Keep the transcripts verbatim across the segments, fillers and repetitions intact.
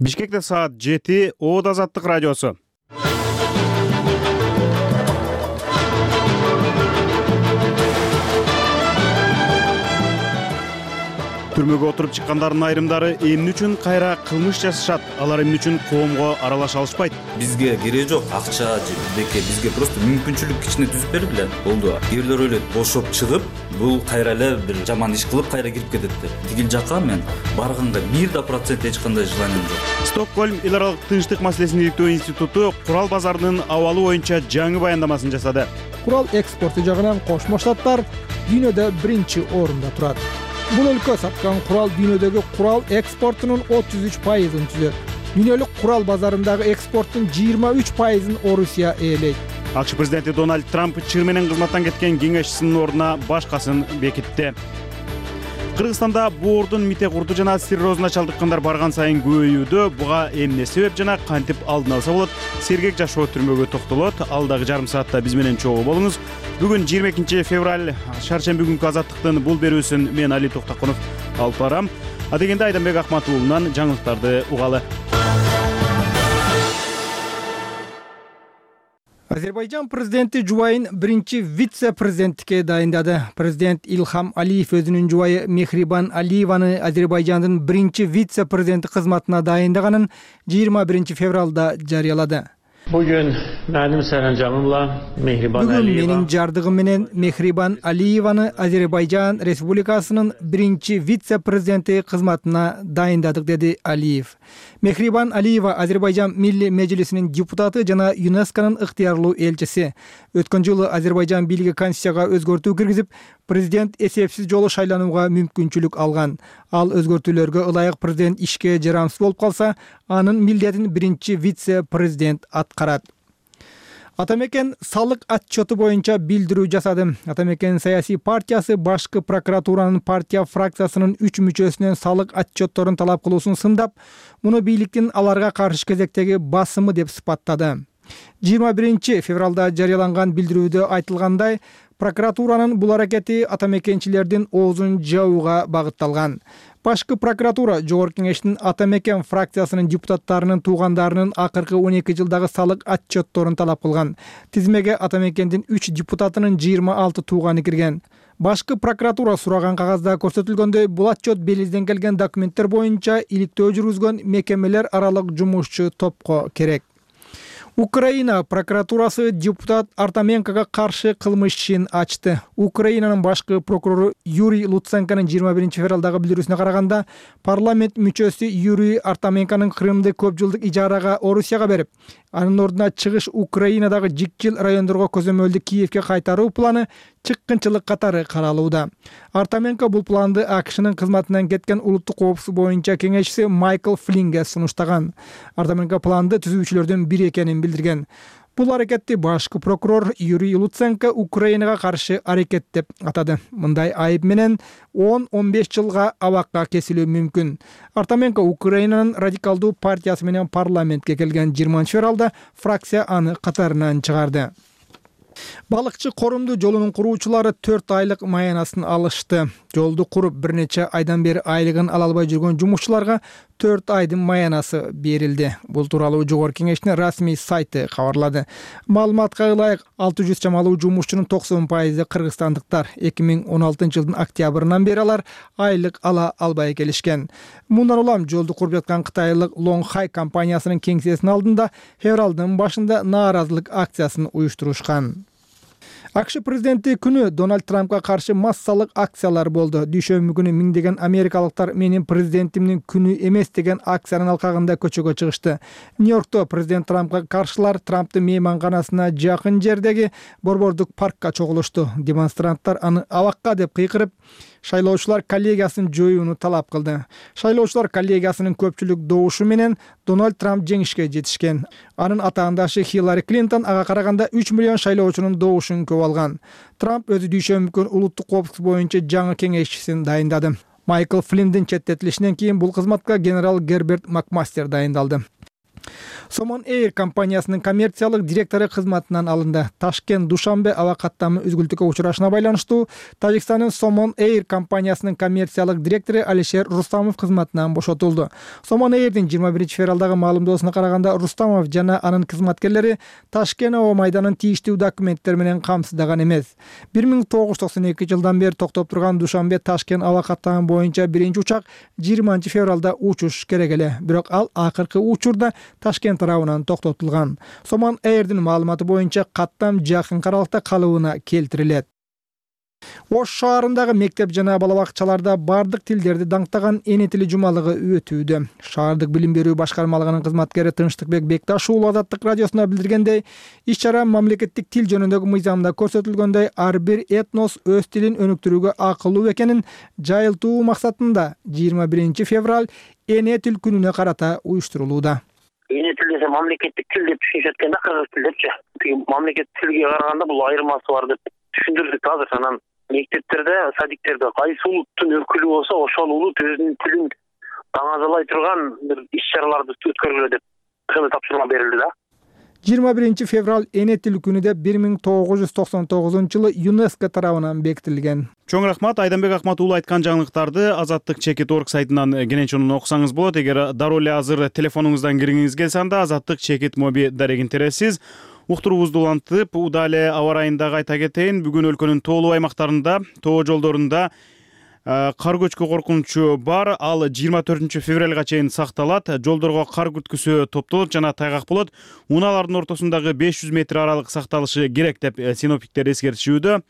Бишкекте саат жети, Оот Азаттык радиосу. Түрмөгө отуруп чыккандардын айрымдары эмне үчүн кайра кылмыш жасашат? Алар эмне үчүн коомго аралаша алышпайт? Бизге кереги жок акча же бирдеке, бизге просто мүмкүнчүлүк кичине түзүп берилди. Болду. Кээ бирлер ойлойт, бошоп чыгып, бул кайра эле бир жаман иш кылып кайра кирип кетет деп. Тигил жакка мен барганга бир да процент эч кандай желанием жок. Стокгольм эл аралык тынчтык маселесин иликтөө институту курал базарынын абалы боюнча жаңы баяндамасын жасады. Курал экспорту жагынан Кошмо Штаттар дүйнөдө биринчи орунда турат. Бул өлкө саткан курал дүйнөдөгү курал экспортунун отуз үч пайызын түзөт. Дүйнөлүк курал базарындагы экспорттун жыйырма үч пайызын Орусия ээлейт. АКШ президенти Дональд Трамп чыр менен кызматтан кеткен кеңешчисинин ордуна башкасын бекитти. Кыргызстанда боордун мите курду жана циррозуна чалдыккандар барган сайын көбөйүүдө. Буга эмне себеп жана кантип алдын алса болот? Сергек Жашоо түрмөгө токтолот. Алдагы жарым саатта биз менен чогуу болуңуз. Бүгүн жыйырма экинчи февраль, шаршемби күнкү Азаттыктын бул берүүсүн мен Али Токтакунов алып барам. Адегенде Айданбек Акматуулунан жаңылыктарды угалы. Азербайжан президенти жубайын биринчи вице-президенттикке дайындады. Президент Илхам Алиев өзүнүн жубайы Мехрибан Алиеваны Азербайжандын биринчи вице-президенти кызматына дайындаганын жыйырма биринчи февралда жарыялады. Бүгүн менин саранжамымла Мехрибан Алиева. Бүгүн менин жардыгым менен Мехрибан Алиеваны Азербайжан Республикасынын биринчи вице-президенти кызматына дайындадык, деди Алиев. Мехрибан Алиева Азербайжан Милли Мejlisинин депутаты жана ЮНЕСКОнун ыктыярлуу элчиси. Өткөн жылы Азербайжан бийлиги Конституцияга өзгөртүү киргизип, президент эсепсиз жолу шайланууга мүмкүнчүлүк алган. Ал өзгөртүүлөргө ылайык президент ишке жарамсыз болуп калса, анын милдетин биринчи вице-президент аткарат. Атамекен салык отчету боюнча билдирүү жасады. Атамекен саясий партиясы башкы прокуратуранын партия фракциясынын үч мүчөсүнөн салык отчетторун талап кылуусун сындап, муну бийликтин аларга каршы кезектеги басымы деп сыпаттады. жыйырма биринчи февралда жарыяланган билдирүүдө айтылгандай, прокуратуранын бул аракети атамекенчилердин оозун жабууга багытталган. Башкы прокуратура Жогорку кеңештин Атамекен фракциясынын депутаттарынын туугандарынын акыркы он эки жылдагы салык отчетторун талап кылган. Тизмеге Атамекендин үч депутатынын жыйырма алты тууганы кирген. Башкы прокуратура сураган кагазда көрсөтүлгөндөй, бул отчет белизден келген документтер боюнча иликтөө жүргүзгөн мекемелер аралык жумушчу топко керек. Украина прокуратурасы депутат Артаменкага каршы кылмыш ишин ачты. Украинанын башкы прокурору Юрий Луценконун жыйырма биринчи февралдагы билдирүүсүнө караганда, парламент мүчөсү Юрий Артаменконун Крымды көп жылдык ижарага Орусияга берип, анын ордуна чыгыш Украинадагы жикчил райондорго көзөмөлдү Киевке кайтаруу планы чыккынчылык катары каралууда. Артаменко бул планды АКШнын кызматынан кеткен улуттук коопсуздук боюнча кеңешчиси Майкл Флинге сунуштаган. Артаменко планды түзүүчүлөрдүн бири экенин билдирген. Бул аракетти башкы прокурор Юрий Луценко Украинага каршы аракет деп атады. Мындай айып менен он он беш жылга абакка кесилүү мүмкүн. Артаменко Украинанын радикалдуу партиясы менен парламентке келген жыйырманчы февралда фракция аны катарынан чыгарды. Балыкчы корумду жолунун куруучулары төрт айлык маянасын алышты. Жолду куруп бир нече айдан бери айлыгын ала албай жүргөн жумушчуларга төрт айдын маянасы берилди. Бул тууралуу Жогорку кеңештин расмий сайты кабарлады. Маалыматка ылайык, алты жүз чамалуу жумушчунун токсон пайызы кыргызстандыктар. эки миң он алтынчы жылдын октябрынан бери алар айлык ала албай келишкен. Мындан улам жолду куруп жаткан кытайлык Longhai компаниясынын кеңсесинин алдында февралдын башында нааразылык акциясын уюштурушкан. АКШ президенти күнү Дональд Трампка каршы массалык акциялар болду. Дүйшөмбү күнү миңдеген америкалыктар менин президентимдин күнү эмес деген акциянын алкагында көчөгө чыгышты. Нью-Йоркто президент Трампка каршылар Трамптын мейманканасына жакын жердеги борбордук паркка чогулушту. Демонстранттар аны абакка деп кыйкырып, шайлоочулар коллегиясын жоюуну талап кылды. Шайлоочулар коллегиясынын көпчүлүк добушу менен Дональд Трамп жеңишке жетишкен. Анын атаандашы Хиллари Клинтон ага караганда үч миллион шайлоочунун добушун көп алган. Трамп өзү дүйшөмбү күнү улуттук коопсуздук боюнча жаңы кеңешчисин дайындады. Майкл Флиндин четтетилишинен кийин бул кызматка генерал Герберт Макмастер дайындалды. Somon Air компаниясынын коммерциялык директору кызматынан алынды. Ташкент Душанбе аба каттамы үзгүлтүккө учурашына байланыштуу Тажикстандын Somon Air компаниясынын коммерциялык директору Алишер Рустамов кызматынан бошотулду. Somon Airдин жыйырма биринчи февралдагы маалымдоосуна караганда Рустамов жана анын кызматкерлери Ташкент аба майданын тийиштүү документтери менен камсыздаган эмес. бир миң тогуз жүз токсон эки жылдан бери токтоп турган Душанбе Ташкент аба каттамы боюнча биринчи учак жыйырманчы февралда учуш керек эле, бирок ал акыркы учурда Ташкент тарабынан токтотулган. Somon Airдин маалыматы боюнча каттам жакын аралыкта калыбына келтирилет. Ош шаарындагы мектеп жана бала бакчаларда бардык тилдерди даңктаган эне тили жумалыгы өтүүдө. Шаардык билим берүү башкармалыгынын кызматкери Тынчтыкбек Бекташ уулу Азаттык радиосуна билдиргендей, иш-чара мамлекеттик тил жөнүндөгү мыйзамда көрсөтүлгөндөй ар бир этнос өз тилин өнүктүрүүгө акылуу экенин жайылтуу максатында жыйырма биринчи февраль эне тил күнүнө карата уюштурулууда. Эне тил десе мамлекеттик тил деп түшүнүшөт экен да, кыргыз тил депчи. Мамлекеттик тилге караганда бул айырмасы бар деп түшүндүрдүк азыр. Анан мектептерде, садиктерде кайсы улуттун өкүлү болсо, ошол улут өзүнүн тилин таңазалай турган бир иш-чараларды өткөргүлө деп тапшырма берилди да. жыйырма биринчи февраль эне тил күнү деп бир миң тогуз жүз токсон тогузунчу жылы ЮНЕСКО тарабынан бекитилген. Чоң рахмат. Айданбек Акмат уулу айткан жаңылыктарды Азаттык чекит точка орг сайтынан кенен окусаңыз болот. Эгер дароо эле азыр телефонуңуздан киргиңиз келсе, анда Азаттык чекит моби дарегин тересиз. Уктуруубузду улантып, удале аба ырайында кайта кетейин. Бүгүн өлкөнүн тоолуу аймактарында, тоо жолдорунда кар көчкү коркунучу бар. Ал жыйырма төртүнчү февралга чейин сакталат. Жолдорго кар күрткүсү топтолот жана тайгак болот. Унаалардын ортосундагы беш жүз метр аралык сакталышы керек деп синоптиктер эскертишүүдө.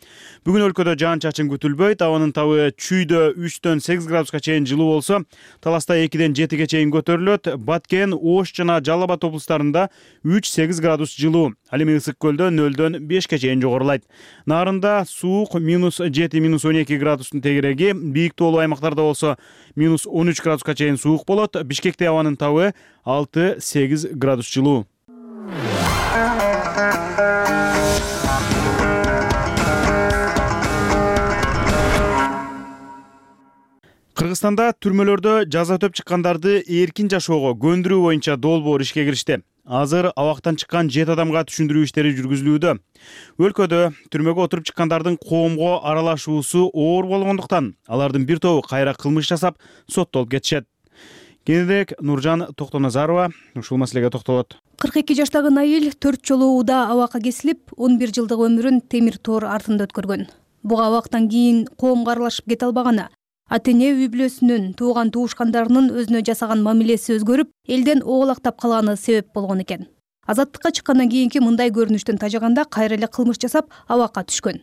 Бүгүн өлкөдө жаан-чачын күтүлбөйт. Абанын табы Чүйдө үчтөн сегиз градуска чейин жылуу болсо, Таласта экиден жетиге чейин көтөрүлөт. Баткен, Ош жана Жалал Абад облустарында үч сегиз градус жылуу. Ал эми Ысык көлдө нөлдөн бешке чейин жогорулайт. Нарында суук минус жети минус он эки градустун тегереги. Бийик тоолуу аймактарда болсо минус он үч градуска чейин суук болот. Бишкекте абанын табы алты сегиз градус жылуу. Кыргызстанда түрмөлөрдө жаза өтөп чыккандарды эркин жашоого көндүрүү боюнча долбоор ишке киришти. Азыр абактан чыккан жети адамга түшүндүрүү иштери жүргүзүлүүдө. Өлкөдө түрмөгө отуруп чыккандардын коомго аралашуусу оор болгондуктан алардын бир тобу кайра кылмыш жасап соттолуп кетишет. Кененирээк Нуржан Токтоназарова ушул маселеге токтолот. кырк эки жаштагы Наил төрт жолу уда абакка кесилип, он бир жылдык өмүрүн темир тоор артында өткөргөн. Буга абактан кийин коомго аралашып кете албаганы, ата-эне үй бүлөсүнүн, тууган туушкандарынын өзүнө жасаган мамилеси өзгөрүп, элден оолактап калганы себеп болгон экен. Азаттыкка чыккандан кийинки мындай көрүнүштөн тажаганда кайра эле кылмыш жасап, абакка түшкөн.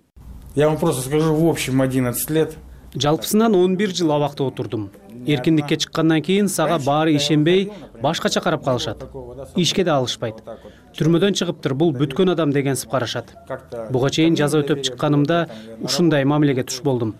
Я вам просто скажу, в общем одиннадцать лет. Жалпысынан он бир жыл абакта отурдум. Эркиндикке чыккандан кийин сага баары ишенбей, башкача карап калышат. Ишке да алышпайт. Түрмөдөн чыгыптыр, бул бүткөн адам дегенсип карашат. Буга чейин жаза өтөп чыкканымда ушундай мамилеге туш болдум.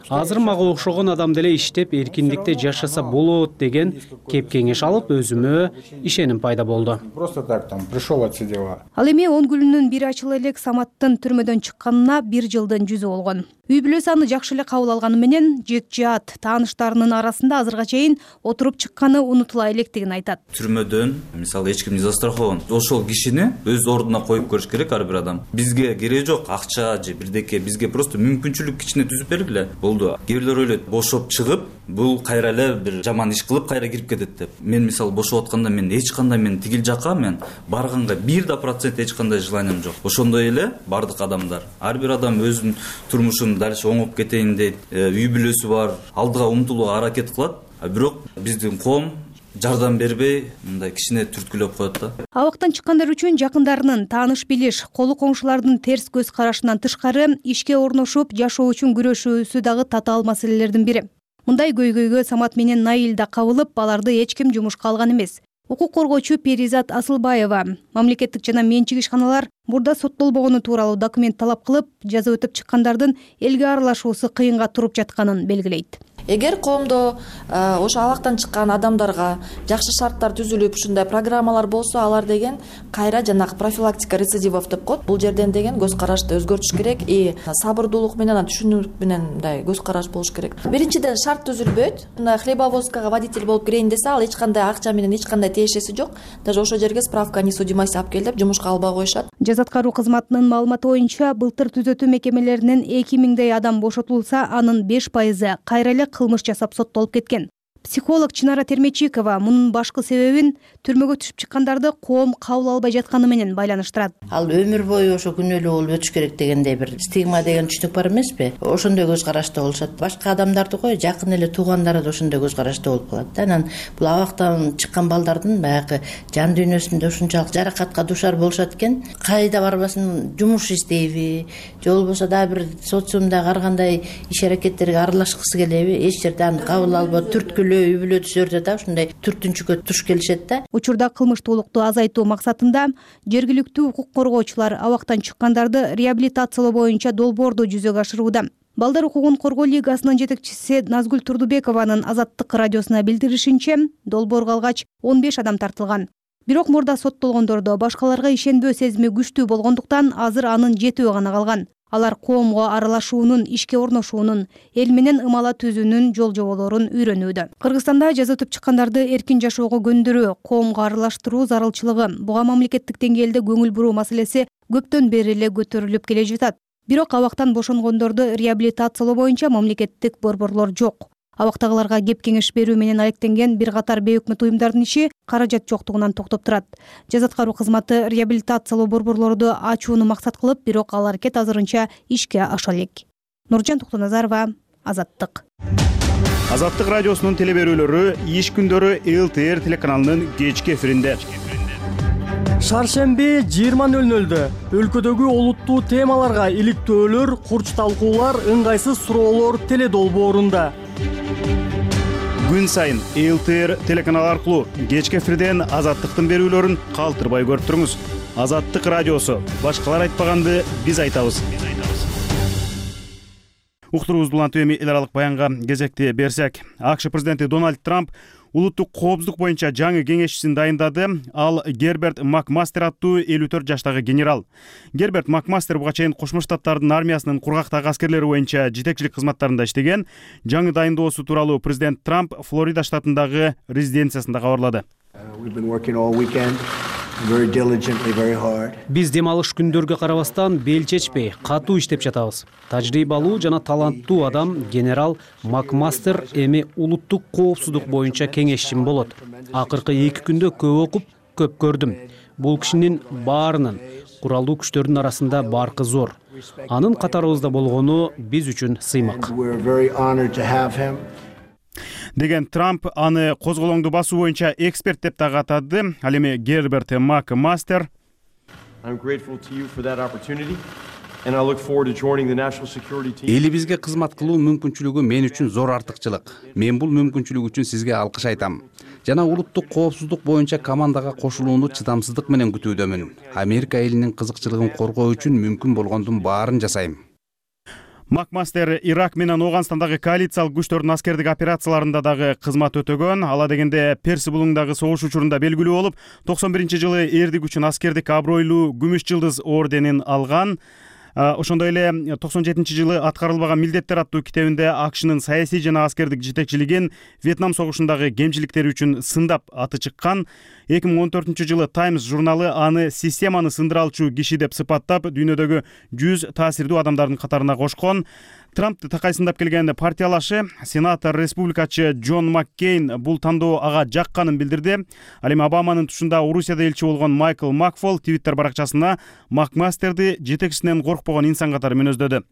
Азыр мага окшогон адам деле иштеп эркиндикте жашаса болот деген кеп кеңеш алып, өзүмө ишеним пайда болду. Просто так там пришел отсидела. Ал эми он күнүнүн бири ачыла элек Саматтын түрмөдөн чыкканына бир жылдын жүзү болгон. Үй бүлөсү аны жакшы эле кабыл алганы менен жек жаат тааныштарынын арасында азырга чейин отуруп чыкканы унутула электигин айтат. Түрмөдөн мисалы эч кимди застрахован. Ошол кишини өз ордуна коюп көрүш керек ар бир адам. Бизге кереги жок акча же бирдеке, бизге просто мүмкүнчүлүк кичине түзүп бергиле. Болду. Кээ бирлер ойлойт, бошоп чыгып, бул кайра эле бир жаман иш кылып кайра кирип кетет деп. Мен мисалы бошоп атканда мен эч кандай мен тигил жакка мен барганга бир да процент эч кандай желанием жок. Ошондой эле бардык адамдар. Ар бир адам өзүнүн турмушун дальше оңоп кетейин дейт, үй бүлөсү бар, алдыга умтулууга аракет кылат. А бирок биздин коом жардам бербей, мындай кичине түрткүлөп коет да. Абактан чыккандар үчүн жакындарынын, тааныш билиш, колу коңшулардын терс көз карашынан тышкары ишке орношуп, жашоо үчүн күрөшүүсү дагы татаал маселелердин бири. Мындай көйгөйгө Самат менен Наил да кабылып, аларды эч ким жумушка алган эмес. Укук коргоочу Перизат Асылбаева мамлекеттик жана менчик ишканалар мурда соттолбогону тууралуу документ талап кылып, жаза өтөп чыккандардын элге аралашуусу кыйынга туруп жатканын белгилейт. эгер коомдо ошо абактан чыккан адамдарга жакшы шарттар түзүлүп ушундай программалар болсо, алар деген кайра жанагы профилактика рецидивов деп коет. Бул жерден деген көз карашты өзгөртүш керек и сабырдуулук менен, түшүнүк менен мындай көз караш болуш керек. Биринчиден шарт түзүлбөйт. Мындай хлебовозкага водитель болуп кирейин десе, ал эч кандай акча менен эч кандай тиешеси жок. Даже ошол жерге справка о несудимости алып кел деп жумушка албай коюшат. Жаза аткаруу кызматынын маалыматы боюнча, былтыр түзөтүү мекемелеринен эки миңдей адам бошотулса, анын беш пайызы кайра эле кылмыш жасап соттолуп кеткен. Психолог Чынара Термечикова мунун башкы себебин түрмөгө түшүп чыккандарды коом кабыл албай жатканы менен байланыштырат. Ал өмүр бою ошо күнөөлүү болуп өтүш керек дегендей бир стигма деген түшүнүк бар эмеспи? Ошондой көз карашта болушат. Башка адамдарды кой, жакын эле туугандары да ошондой көз карашта болуп калат. Анан бул абактан чыккан балдардын баягы жан дүйнөсүндө ушунчалык жаракатка дуушар болушат экен. Кайда барбасын, жумуш издейби, же болбосо дагы бир социумдагы ар кандай иш аракеттерге аралашкысы келеби, эч жерде аны кабыл албай түрткүлөө үй бүлө түзөрдө да ушундай түртүнчүккө туш келишет да. Учурда кылмыштуулукту азайтуу максатында жергиликтүү укук коргоочулар абактан чыккандарды реабилитациялоо боюнча долбоорду жүзөгө ашырууда. Балдар укугун коргоо лигасынын жетекчиси Назгүл Турдубекованын Азаттык радиосуна билдиришинче, долбоорго алгач он беш адам тартылган. Бирок мурда соттолгондордо башкаларга ишенбөө сезими күчтүү болгондуктан азыр анын жетөө гана калган. Алар коомго аралашуунун, ишке орношуунун, эл менен ымала түзүүнүн жол жоболорун үйрөнүүдө. Кыргызстанда жаза өтүп чыккандарды эркин жашоого көндүрүү, коомго аралаштыруу зарылчылыгы, буга мамлекеттик деңгээлде көңүл буруу маселеси көптөн бери эле көтөрүлүп келе жатат. Бирок абактан бошонгондорду реабилитациялоо боюнча мамлекеттик борборлор жок. Абактагыларга кеп кеңеш берүү менен алектенген бир катар бейөкмөт уюмдардын иши каражат жоктугунан токтоп турат. Жаза аткаруу кызматы реабилитациялоо борборлорду ачууну максат кылып, бирок ал аракет азырынча ишке аша элек. Нуржан Токтоназарова, Азаттык. Азаттык радиосунун телеберүүлөрү иш күндөрү эл тэ эр телеканалынын кечки эфиринде. Шаршемби жыйырма нөл нөлдө өлкөдөгү олуттуу темаларга иликтөөлөр, курч талкуулар, ыңгайсыз суроолор теледолбоорунда. Күн сайын эл тэ эр телеканалы аркылуу кечки эфирден Азаттыктын берүүлөрүн калтырбай көрүп туруңуз. Азаттык радиосу. Башкалар айтпаганды биз айтабыз. Уктуруубузду улантып эми эл аралык баянга кезекти берсек, АКШ президенти Дональд Трамп улуттук коопсуздук боюнча жаңы кеңешчисин дайындады. Ал Герберт Макмастер аттуу элүү төрт жаштагы генерал. Герберт Макмастер буга чейин Кошмо Штаттардын армиясынын кургактагы аскерлери боюнча жетекчилик кызматтарында иштеген. Жаңы дайындоосу тууралуу президент Трамп Флорида штатындагы резиденциясында кабарлады. Биз дем алыш күндөргө карабастан бел чечпей, катуу иштеп жатабыз. Тажрыйбалуу жана таланттуу адам генерал Макмастер эми улуттук коопсуздук боюнча кеңешчим болот. Акыркы эки күндө көп окуп, көп көрдүм. Бул кишинин баарынын куралдуу күчтөрдүн арасында баркы зор. Анын катарыбызда болгону биз үчүн сыймак. Деген Трамп аны козголоңду басуу боюнча эксперт деп дагы атады. Ал эми Герберт Макмастер элибизге кызмат кылуу мүмкүнчүлүгү мен үчүн зор артыкчылык. Мен бул мүмкүнчүлүк үчүн сизге алкыш айтам. Жана улуттук коопсуздук боюнча командага кошулууну чыдамсыздык менен күтүүдөмүн. Америка элинин кызыкчылыгын коргоо үчүн мүмкүн болгондун баарын жасайм. Макмастер Ирак менен Ооганстандагы коалициялык күчтөрдүн аскердик операцияларында дагы кызмат өтөгөн. Ала дегенде Перси булуңдагы согуш учурунда белгилүү болуп, токсон биринчи жылы эрдик үчүн аскердик абройлуу күмүш жылдыз орденин алган. Ошондой эле токсон жетинчи жылы аткарылбаган милдеттер аттуу китебинде АКШнын саясий жана аскердик жетекчилигин Вьетнам согушундагы кемчиликтери үчүн сындап аты чыккан. эки миң он төртүнчү жылы Times журналы аны системаны сындыра алчу киши деп сыпаттап, дүйнөдөгү жүз таасирдүү адамдардын катарына кошкон. Трампты такайсындап келген партиялашы, сенатор республикачы Джон Маккейн бул тандоо ага жакканын билдирди. Ал эми Обаманын тушунда Орусияда элчи болгон Майкл Макфол Твиттер баракчасына Макмастерди жетекчисинен коркпогон инсан катары мүнөздөдү.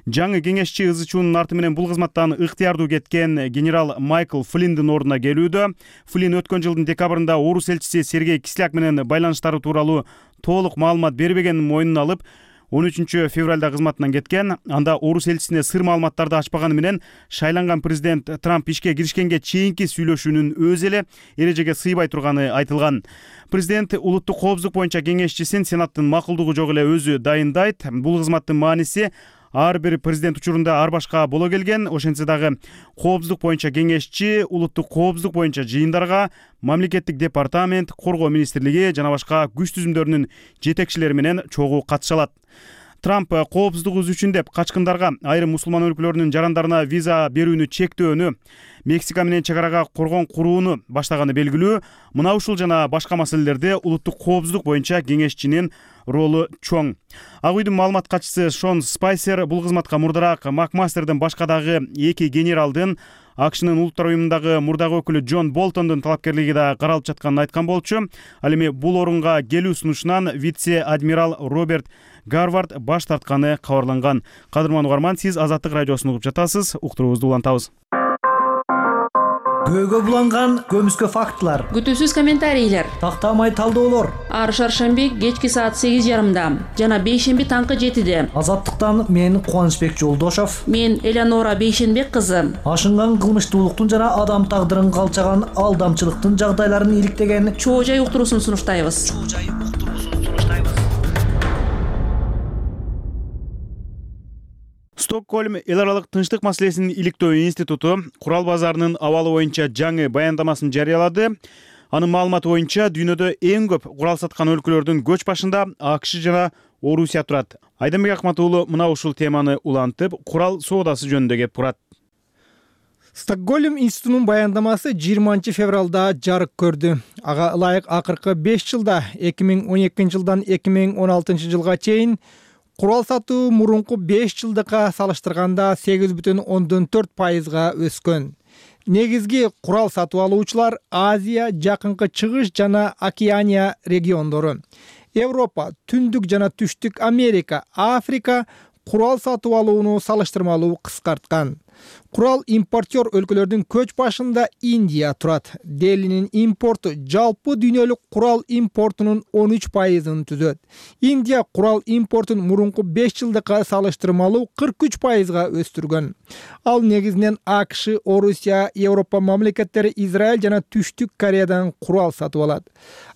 Жаңы кеңешчи ызы чуунун арты менен бул кызматтан ыктыярдуу кеткен генерал Майкл Флиндин ордуна келүүдө. Флин өткөн жылдын декабрында Орус элчиси Сергей Кисляк менен байланыштары тууралуу толук маалымат бербегенин мойнуна алып, он үчүнчү февралда кызматынан кеткен. Анда Орус элчисине сыр маалыматтарды ачпаганы менен шайланган президент Трамп ишке киришкенге чейинки сүйлөшүүнүн өзү эле эрежеге сыйбай турганы айтылган. Президент улуттук коопсуздук боюнча кеңешчисин Сенаттын макулдугу жок эле өзү дайындайт. Бул кызматтын мааниси ар бир президент учурунда ар башка боло келген. Ошентсе дагы коопсуздук боюнча кеңешчи, улуттук коопсуздук боюнча жыйындарга мамлекеттик департамент, коргоо министрлиги жана башка күч түзүмдөрүнүн жетекчилери менен чогуу катыша алат. Трамп коопсуздугубуз үчүн деп качкындарга айрым мусулман өлкөлөрүнүн жарандарына виза берүүнү чектөөнү, Мексика менен чек арага коргон курууну баштаганы белгилүү. Мына ушул жана башка маселелерде улуттук коопсуздук боюнча кеңешчинин ролу чоң. Ак үйдүн маалымат катчысы Шон Спайсер бул кызматка мурдараак Макмастердин башка дагы эки генералдын АКШнын улуттар уюмундагы мурдагы өкүлү Джон Болтондун талапкерлиги да каралып жатканын айткан болчу. Ал эми бул орунга келүү сунушунан вице-адмирал Роберт Гарвард баш тартканы кабарланган. Кадырман угарман, сиз Азаттык радиосун угуп жатасыз. Уктуруубузду улантабыз. Көөгө буланган көмүскө фактылар, күтүүсүз комментарийлер, тактамай талдоолор. Ар шаршемби кечки саат сегиз жарымда жана бейшемби таңкы жетиде. Азаттыктан мен Кубанычбек Жолдошов, мен Элеонора Бейшенбек кызы. Ашынган кылмыштуулуктун жана адам тагдырын калчаган алдамчылыктын жагдайларын иликтеген чоо жай уктуруусун сунуштайбыз. Стокгольм эл аралык тынчтык маселесин иликтөө институту курал базарынын абалы боюнча жаңы баяндамасын жарыялады. Анын маалыматы боюнча дүйнөдө эң көп курал саткан өлкөлөрдүн көч башында АКШ жана Орусия турат. Айданбек Акмат уулу мына ушул теманы улантып, курал соодасы жөнүндө кеп турат. Стокгольм институтунун баяндамасы жыйырманчы февралда жарык көрдү. Ага ылайык акыркы беш жылда эки миң он экинчи жылдан эки миң он алтынчы жылга чейин курал сатуу мурунку беш жылдыкка салыштырганда сегиз бүтүн ондон төрт пайызга өскөн. Негизги курал сатып алуучулар Азия, Жакынкы Чыгыш жана Океания региондору. Европа, Түндүк жана Түштүк Америка, Африка курал сатып алууну салыштырмалуу кыскарткан. Курал импортер өлкөлөрдүн көч башында Индия турат. Делинин импорту жалпы дүйнөлүк курал импортунун он үч пайызын түзөт. Индия курал импортун мурунку беш жылдыкка салыштырмалуу кырк үч пайызга өстүргөн. Ал негизинен АКШ, Орусия, Европа мамлекеттери, Израиль жана Түштүк Кореядан курал сатып алат.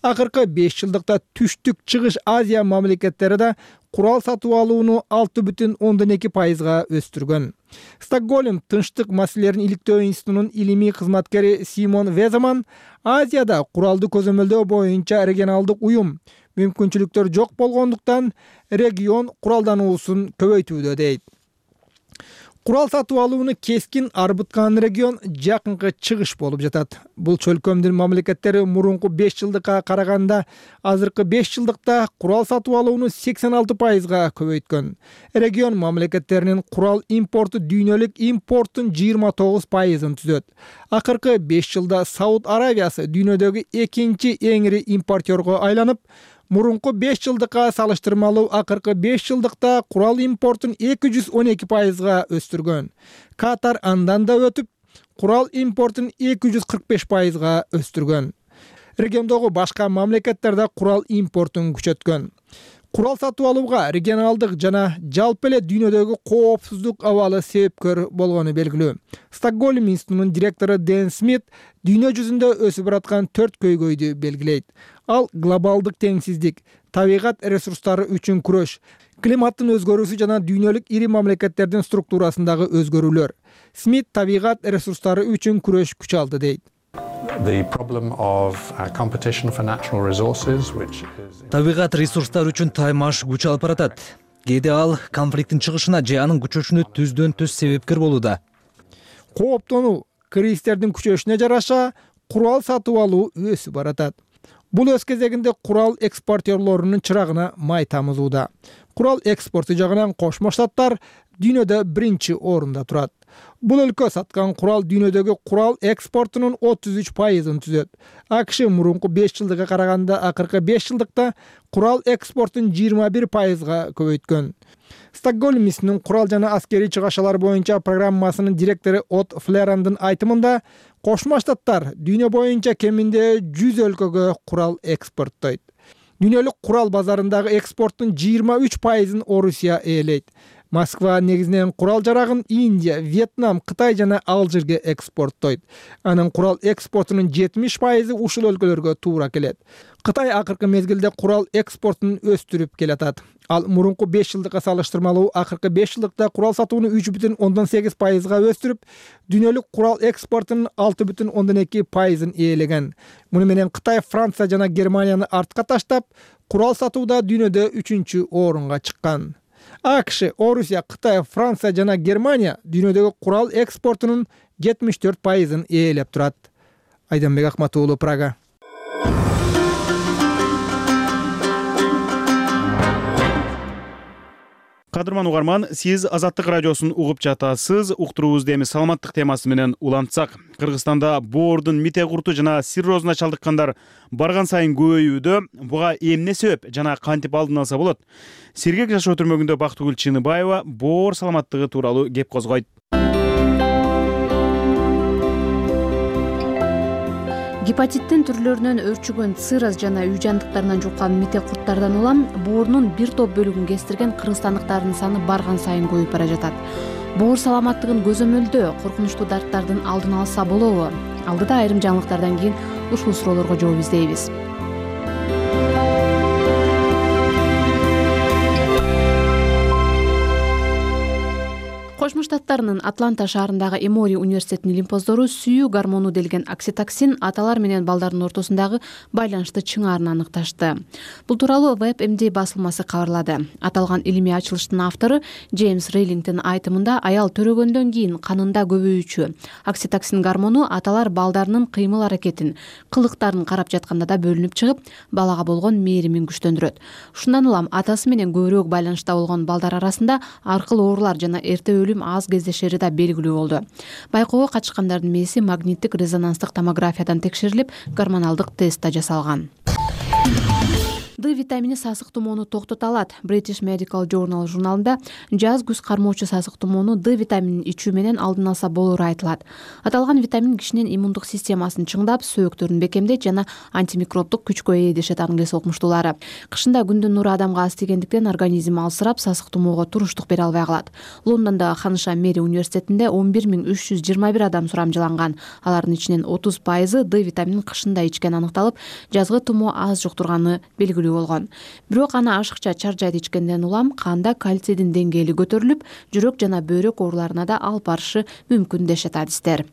Акыркы беш жылдыкта Түштүк Чыгыш Азия мамлекеттери да курал сатып алууну алты бүтүн ондон эки пайызга өстүргөн. Стокгольм тынчтык маселелерин иликтөө институтунун илимий кызматкери Симон Веземан Азияда куралды көзөмөлдөө боюнча регионалдык уюм мүмкүнчүлүктөр жок болгондуктан регион куралдануусун көбөйтүүдө дейт. Курал сатып алууну кескин арбыткан регион Жакынкы Чыгыш болуп жатат. Бул чөлкөмдүн мамлекеттери мурунку беш жылдыкка караганда азыркы беш жылдыкта курал сатып алууну сексен алты пайызга көбөйткөн. Регион мамлекеттеринин курал импорту дүйнөлүк импорттун жыйырма тогуз пайызын түзөт. Акыркы беш жылда Сауд Аравиясы дүйнөдөгү экинчи эң ири импортерго айланып, мурунку беш жылдыкка салыштырмалуу акыркы беш жылдыкта курал импортун эки жүз он эки пайызга өстүргөн. Катар андан да өтүп, курал импортун эки жүз кырк беш пайызга өстүргөн. Региондогу башка мамлекеттер да курал импортун күчөткөн. Курал сатып алууга регионалдык жана жалпы эле дүйнөдөгү коопсуздук абалы себепкөр болгону белгилүү. Стокгольм институтунун директору Дэн Смит дүйнө жүзүндө өсүп бараткан төрт көйгөйдү белгилейт. Ал глобалдык теңсиздик, табигат ресурстары үчүн күрөш, климаттын өзгөрүүсү жана дүйнөлүк ири мамлекеттердин структурасындагы өзгөрүүлөр. Смит табигат ресурстары үчүн күрөш күч алды дейт. Табигат ресурстары үчүн таймаш күч алып баратат. Кээде ал конфликттин чыгышына же анын күчөшүнө түздөн түз себепкер болууда. Кооптонуу кризистердин күчөшүнө жараша курал сатып алуу өсүп баратат. Бул өз кезегинде курал экспортерлорунун чырагына май тамызууда. Курал экспорту жагынан Кошмо Штаттар дүйнөдө биринчи орунда турат. Бул өлкө саткан курал дүйнөдөгү курал экспортунун отуз үч пайызын түзөт. АКШ мурунку беш жылдыкка караганда акыркы беш жылдыкта курал экспортун жыйырма бир пайызга көбөйткөн. Стокгольм институтунун курал жана аскерий чыгашалар боюнча программасынын директору От Флерандын айтымында, Кошмо Штаттар дүйнө боюнча кеминде жүз өлкөгө курал экспорттойт. Дүйнөлүк курал базарындагы экспорттун жыйырма үч пайызын Орусия ээлейт. Москва негизинен курал жарагын Индия, Вьетнам, Кытай жана Алжирге экспорттойт. Анын курал экспортунун жетимиш пайызы ушул өлкөлөргө туура келет. Кытай акыркы мезгилде курал экспортун өстүрүп келатат. Ал мурунку беш жылдыкка салыштырмалуу акыркы беш жылдыкта курал сатууну үч бүтүн ондон сегиз пайызга өстүрүп, дүйнөлүк курал экспортунун алты бүтүн ондон эки пайызын ээлеген. Муну менен Кытай, Франция жана Германияны артка таштап, курал сатууда дүйнөдө үчүнчү орунга чыккан. АКШ, Орусия, Кытай, Франция жана Германия дүйнөдөгү курал экспортунун жетимиш төрт пайызын ээлеп турат. Айданбек Акмат уулу, Прага. Кадырман угарман, сиз Азаттык радиосун угуп жатасыз. Уктуруубузду эми саламаттык темасы менен улантсак. Кыргызстанда боордун мите курту жана циррозуна чалдыккандар барган сайын көбөйүүдө. Буга эмне себеп жана кантип алдын алса болот? Сергек жашоо түрмөгүндө Бактыгүл Чыныбаева боор саламаттыгы тууралуу кеп козгойт. Гепатиттин түрлөрүнөн өрчүгөн цирроз жана үй жандыктарынан жуккан мите курттардан улам боорунун бир топ бөлүгүн кестирген кыргызстандыктардын саны барган сайын көбөйүп бара жатат. Боор саламаттыгын көзөмөлдөө коркунучтуу дарттардын алдын алса болобу? Алдыда айрым жаңылыктардан кийин ушул суроолорго жооп издейбиз. Кошмо Штаттарынын Атланта шаарындагы Эмори университетинин лимфоздору сүйүү гормону делген окситоксин аталар менен балдардын ортосундагы байланышты чыңаарын аныкташты. Бул тууралуу WebMD басылмасы кабарлады. Аталган илимий ачылыштын автору Джеймс Рейлингтин айтымында аял төрөгөндөн кийин канында көбөйүүчү окситоксин гормону аталар балдарынын кыймыл аракетин, кылыктарын карап жатканда да бөлүнүп чыгып, балага болгон мээримин күчтөндүрөт. Ушундан улам атасы менен көбүрөөк байланышта болгон балдар арасында аркыл оорулар жана эрте өлүм аз кездешери да белгилүү болду. Байкоого катышкандардын мээси магниттик резонанстык томографиядан текшерилип, гормоналдык тест да жасалган. Д витамини сасык тумоону токтото алат. British Medical Journal журналында жаз күз кармоочу сасык тумоону Д витаминин ичүү менен алдын алса болору айтылат. Аталган витамин кишинин иммундук системасын чыңдап, сөөктөрүн бекемдейт жана антимикробдук күчкө ээ дешет англис окумуштуулары. Кышында күндүн нуру адамга аз тийгендиктен организм алсырап, сасык тумоого туруштук бере албай калат. Лондондогу Ханыша Мэри университетинде он бир миң үч жүз жыйырма бир адам сурамжыланган. Алардын ичинен отуз пайызы Д витаминин кышында ичкен аныкталып, жазгы тумоо аз жуктурганы белгилүү болгон. Бирок аны ашыкча чаржайт ичкенден улам канда кальцийдин деңгээли көтөрүлүп, жүрөк жана бөйрөк ооруларына да алып барышы мүмкүн дешет адистер.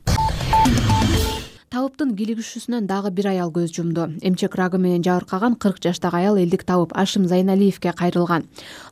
Табыптын килигишүүсүнөн дагы бир аял көз жумду. Эмчек рагы менен жабыркаган кырк жаштагы аял элдик табып Ашим Зайналиевке кайрылган.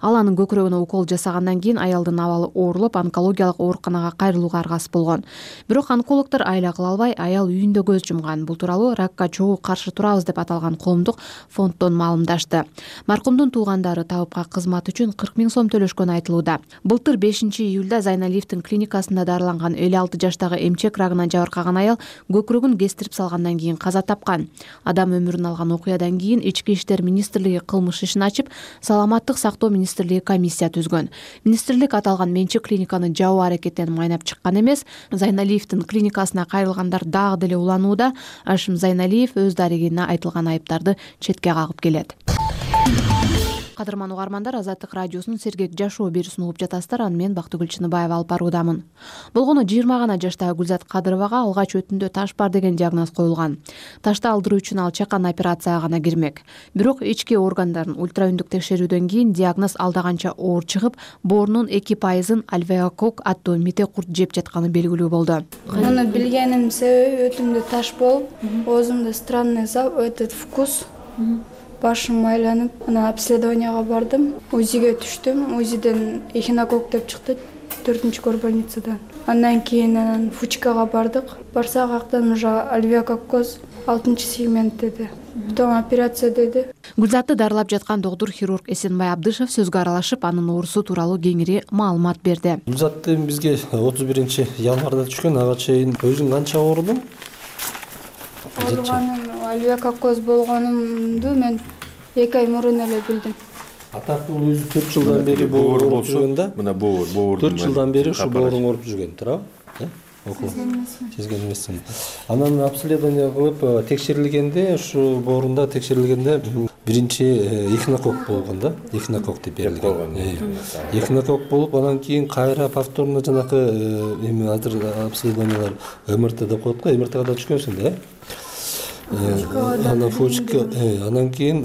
Ал анын көкүрөгүнө укол жасагандан кийин аялдын абалы оорулуп, онкологиялык ооруканага кайрылууга аргасыз болгон. Бирок онкологдор айла кыла албай, аял үйүндө көз жумган. Бул тууралуу Ракка чогуу каршы турабыз деп аталган коомдук фонддон маалымдашты. Маркумдун туугандары табыпка кызмат үчүн кырк миң сом төлөшкөнү айтылууда. Былтыр бешинчи июлда Зайналиевдин клиникасында дарыланган элүү алты жаштагы эмчек рагынан жабыркаган аял көкүрөгүн кестирип салгандан кийин каза тапкан. Адам өмүрүн алган окуядан кийин Ички иштер министрлиги кылмыш ишин ачып, саламаттык сактоо министрлиги комиссия түзгөн. Министрлик аталган менчик клиниканы жабуу аракетин майнап чыккан эмес. Зайналиевдин клиникасына кайрылгандар дагы деле уланууда. Ашим Зайналиев өз дарегине айтылган айыптарды четке кагып келет. Кадырман угармандар, Азаттык радиосунун Сергек жашоо берүүсүн угуп жатасыздар. Аны мен Бактыгүл Чыныбаева алып баруудамын. Болгону жыйырма гана жаштагы Гүлзат Кадыровага алгач өтүндө таш бар деген диагноз коюлган. Ташты алдыруу үчүн ал чакан операцияга гана кирмек. Бирок ички органдарын ультраүндүк текшерүүдөн кийин диагноз алдаганча оор чыгып, боорунун эки пайызын альвеокок аттуу мите курт жеп жатканы белгилүү болду. Муну билгеним себеби өтүмдө таш болуп, оозумда странный этот вкус. Башым айланып, ана обследованияга бардым, УЗИге түштүм. УЗИден эхинокок деп чыкты, төртүнчү горбольницадан. Андан кийин анан фучкага бардык. Барсак актан уже альвеококкоз алтынчы сегмент деди. Потом операция деди. Гүлзатты дарылап жаткан доктур хирург Эсенбай Абдышев сөзгө аралашып, анын оорусу тууралуу кеңири маалымат берди. Гүлзатты бизге отуз биринчи январда түшкөн, ага чейин өзүң канча оорудуң? Ооруганым альвеококкоз болгонумду мен эки ай мурун эле билдим. Атак бул өзү төрт жылдан бери боор ооруп жүргөн да? Мына боор, боор. төрт жылдан бери ушу бооруң ооруп жүргөн, туурабы? Сезген эмесмин. Анан обследование кылып текшерилгенде, ушу боорунда текшерилгенде биринчи эхинокок болгон да, эхинокок деп берилген. Эхинокок болуп, анан кийин кайра повторно жанакы эми азыр обследованиялар МРТ деп коет го, МРТга да түшкөнсүң да. Анан фочка, анан кийин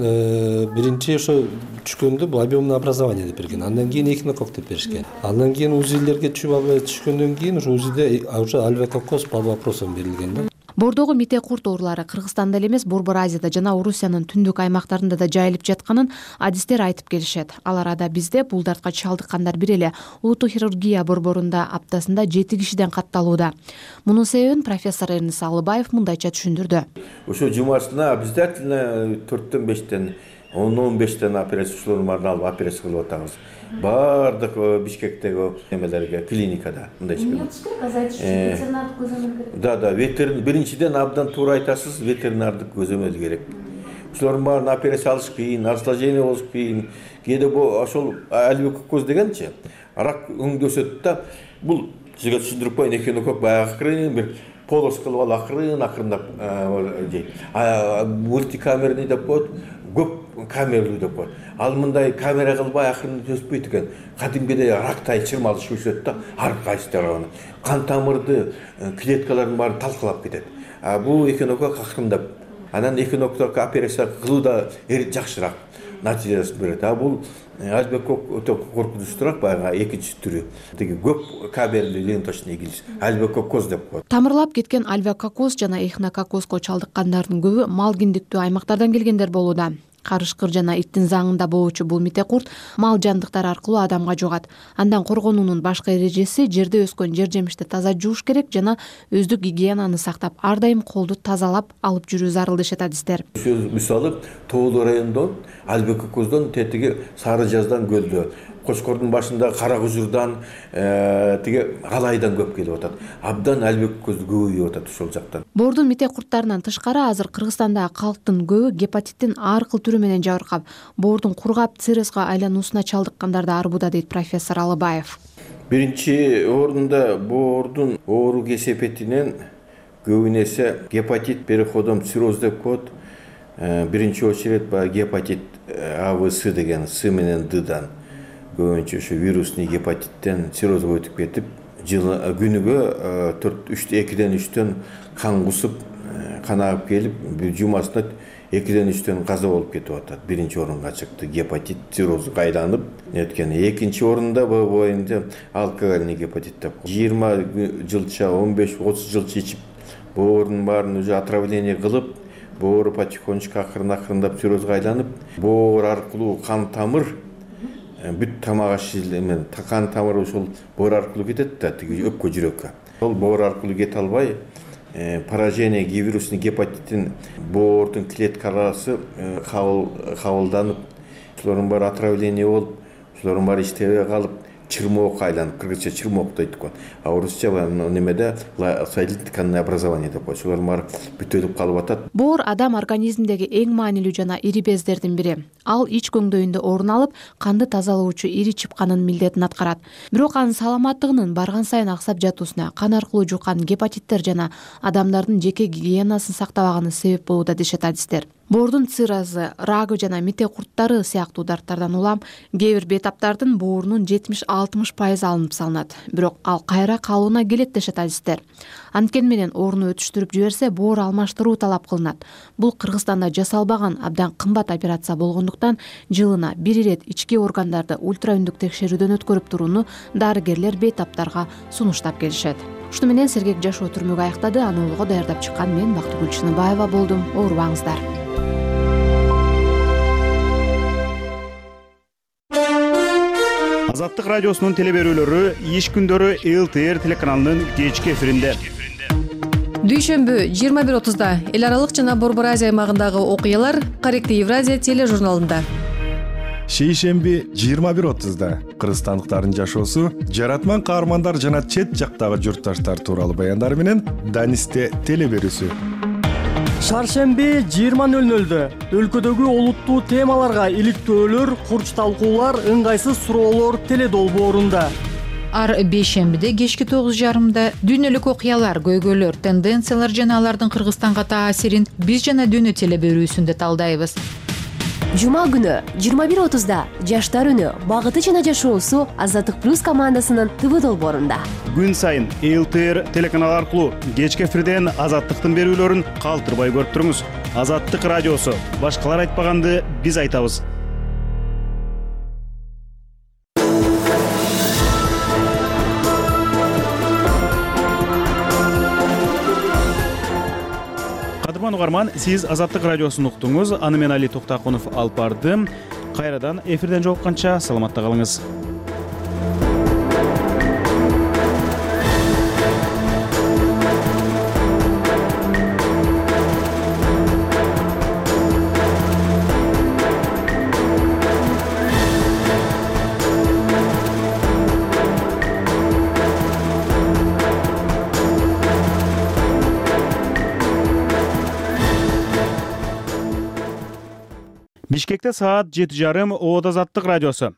биринчи ошо түшкөндө бул объемное образование деп берген. Андан кийин эхинокок деп беришкен. Андан кийин УЗИлерге түшкөндөн кийин ошо УЗИде уже альвеококоз под вопросом берилген да. Бордогу мите курт оорулары Кыргызстанда эле эмес, Борбор Азияда жана Орусиянын түндүк аймактарында да жайылып жатканын адистер айтып келишет. Ал арада бизде бул дартка чалдыккандар бир эле улуттук хирургия борборунда аптасында жети кишиден катталууда. Мунун себебин профессор Эрнис Алыбаев мындайча түшүндүрдү. Ошо жумасына обязательно төрттөн бештен он он бештен операцияларды алып операция кылып атабыз. Бардык Бишкектеги эмелерге, клиникада мындайча. Да, да, ветеринар биринчиден абдан туура айтасыз, ветеринардык көзөмөл керек. Ошолордун баарын операция алыш кыйын, осложнение болуш кыйын. Кээде бул ошол альвеококоз дегенчи рак өңдөшөт да, бул сизге түшүндүрүп коеюн, эхинокок баягы акырын бир полос кылып алып акырын акырындап жейт. Мультикамерный деп коет, көп камералуу деп коет. Ал мындай камера кылбай акырын өспөйт экен. Кадимгидей рактай чырмалыш өсөт да, ар кайсы тарабынан. Кан тамырды, клеткалардын баарын талкалап кетет. А бул эхинокок акырындап. Анан эхинокок операция кылууда жакшыраак натыйжасын берет. А бул альвеокок өтө коркунучтуураак, баягы экинчи түрү. Тиги көп камералуу ленточный гильз, альвеококоз деп коет. Тамырлап кеткен альвеококоз жана эхинококозго чалдыккандардын көбү мал киндиктүү аймактардан келгендер болууда. Карышкыр жана иттин заңында болуучу бул мите курт мал жандыктар аркылуу адамга жугат. Андан коргонуунун башкы эрежеси жерде өскөн жер жемишти таза жууш керек жана өздүк гигиенаны сактап, ар дайым колду тазалап алып жүрүү зарыл дешет адистер. Мисалы, Тоолу районунда альвеококоздон тетиги Сары Жаздан көлдө, Кошкордун башында Кара Кужурдан, тиги Алайдан көп келип атат. Абдан альвеококозду көбөйүп атат ошол жактан. Боордун мите курттарынан тышкары азыр Кыргызстанда калктын көбү гепатиттин ар кыл түрү менен жабыркап, боордун кургап циррозго айлануусуна чалдыккандарды арбууда дейт профессор Алыбаев. Биринчи орунда боордун оору кесепетинен көбүн эсе гепатит переходом цирроз деп коет. Биринчи очередь гепатит А В С деген С менен Ддан көбүнчө ошо вирусный гепатиттен циррозго өтүп кетип, күнүгө төрт экиден үчтөн кан кусуп, кан агып келип, жумасына экиден үчтөн каза болуп кетип атат. Биринчи орунга чыкты гепатит циррозго айланып өткөн. Экинчи орунда боюнча алкогольный гепатит деп. жыйырма жылча, он беш отуз жылча ичип, боордун баарын уже отравление кылып, боору потихонечку акырын-акырындап циррозго айланып, боор аркылуу кан тамыр бүт тамак ашылмен кан тамыры ошол боор аркылуу кетет да, тиги өпкө жүрөккө. Ол боор аркылуу кете албай, поражение вирусный гепатиттин боордун клеткалары кабылданып, ошолордун баары отравление болуп, ошолордун баары иштебей калып, чырмоокко айланып, кыргызча чырмок дейт го. А орусча немеде соединительное образование деп коет. Ошолордун баары бүтөлүп калып атат. Боор адам организминдеги эң маанилүү жана ири бездердин бири. Ал ич көңдөйүндө орун алып, канды тазалоочу ири чыпканын милдетин аткарат. Бирок анын саламаттыгынын барган сайын аксап жатуусуна кан аркылуу жуккан гепатиттер жана адамдардын жеке гигиенасын сактабаганы себеп болууда дешет адистер. Боордун циррозу, рагы жана мите курттары сыяктуу дарттардан улам кээ бир бейтаптардын боорунун жетимиш алтымыш пайызы алынып салынат. Бирок ал кайра калууна келет дешет адистер. Анткени менен ооруну өтүштүрүп жиберсе, боор алмаштыруу талап кылынат. Бул Кыргызстанда жасалбаган абдан кымбат операция болгондуктан жылына бир ирет ички органдарды ультраүндүк текшерүүдөн өткөрүп турууну дарыгерлер бейтаптарга сунуштап келишет. Ушуну менен сергек жашоо түрмөгү аяктады. Аны улуга даярдап чыккан мен Бактыгүл Чыныбаева болдум. Оорубаңыздар. Азаттык радиосунун теле берүүлөрү иш күндөрү Л Т Р телеканалынын кечки эфиринде. Дүйшөмбү жыйырма бир отузда эл аралык жана Борбор Азия аймагындагы окуялар Корректный Евразия тележурналында. Шейшемби жыйырма бир отузда кыргызстандыктардын жашоосу, жаратман каармандар жана чет жактагы журтташтар тууралуу баяндар менен Данисте теле берүүсү. Шаршемби жыйырма нөл нөлдө өлкөдөгү олуттуу темаларга иликтөөлөр, курч талкуулар, ыңгайсыз суроолор теле долбоорунда. Ар бейшембиде кечки тогуз жарымда дүйнөлүк окуялар, көйгөйлөр, тенденциялар жана алардын Кыргызстанга таасирин биз жана дүйнө теле берүүсүндө талдайбыз. жума күнү жыйырма бир отузда жаштар үнү багыты жана жашоосу Азаттык плюс командасынын ТВ долбоорунда. Күн сайын эл тэ эр телеканалы аркылуу кечки эфирден Азаттыктын берүүлөрүн калтырбай көрүп туруңуз. Азаттык радиосу. Башкалар айтпаганды биз айтабыз. Кадырман угарман, сиз Азаттык радиосун уктуңуз. Аны мен Али Токтакунов алып бардым. Кайрадан эфирден жолукканча саламатта калыңыз. Бишкекте саат жети жарым Оод Азаттык радиосу.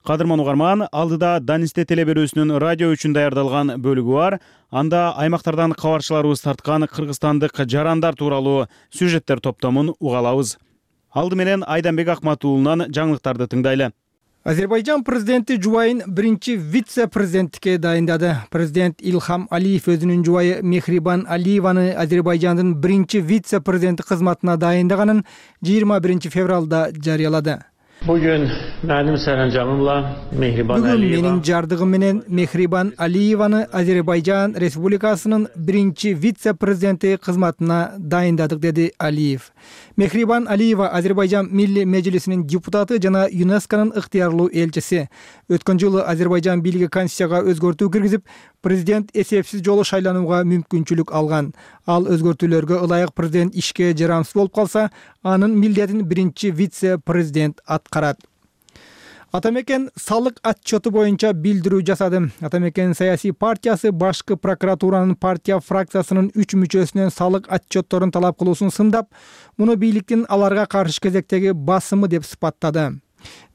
Кадырман угарман, алдыда Данисте телеберүүсүнүн радио үчүн даярдалган бөлүгү бар. Анда аймактардан кабарчыларыбыз тарткан кыргызстандык жарандар тууралуу сюжеттер топтомун угалабыз. Алды менен Айданбек Акматуулунан жаңылыктарды тыңдайлы. Азербайжан президенти жубайын биринчи вице-президенттикке дайындады. Президент Илхам Алиев өзүнүн жубайы Мехрибан Алиеваны Азербайжандын биринчи вице-президенти кызматына дайындаганын жыйырма биринчи февралда жарыялады. Бүгүн менин саранжамымла Мехрибан Алиева. Бүгүн менин жардыгым менен Мехрибан Алиеваны Азербайжан Республикасынын биринчи вице-президенти кызматына дайындадык, деди Алиев. Мехрибан Алиева Азербайжан Милли Мejlisинин депутаты жана ЮНЕСКОнун ыктыярлуу элчиси. Өткөн жылы Азербайжан бийлиги конституцияга өзгөртүү киргизип, президент эсепсиз жолу шайланууга мүмкүнчүлүк алган. Ал өзгөртүүлөргө ылайык президент ишке жарамсыз болуп калса, анын милдетин биринчи вице-президент аткарат. Атамекен салык отчету боюнча билдирүү жасады. Атамекен саясий партиясы башкы прокуратуранын партия фракциясынын үч мүчөсүнөн салык отчетторун талап кылуусун сындап, муну бийликтин аларга каршы кезектеги басымы деп сыпаттады.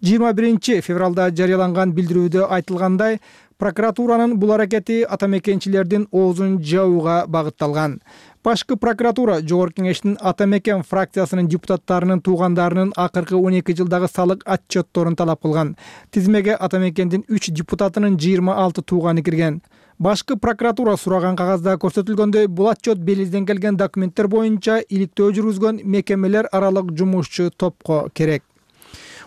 жыйырма биринчи февралда жарыяланган билдирүүдө айтылгандай, прокуратуранын бул аракети атамекенчилердин оозун жабууга багытталган. Башкы прокуратура Жогорку Кеңештин Атамекен фракциясынын депутаттарынын туугандарынын акыркы он эки жылдагы салык отчетторун талап кылган. Тизмеге Атамекендин үч депутатынын жыйырма алты тууганы кирген. Башкы прокуратура сураган кагазда көрсөтүлгөндөй, бул отчет белизден келген документтер боюнча иликтөө жүргүзгөн мекемелер аралык жумушчу топко керек.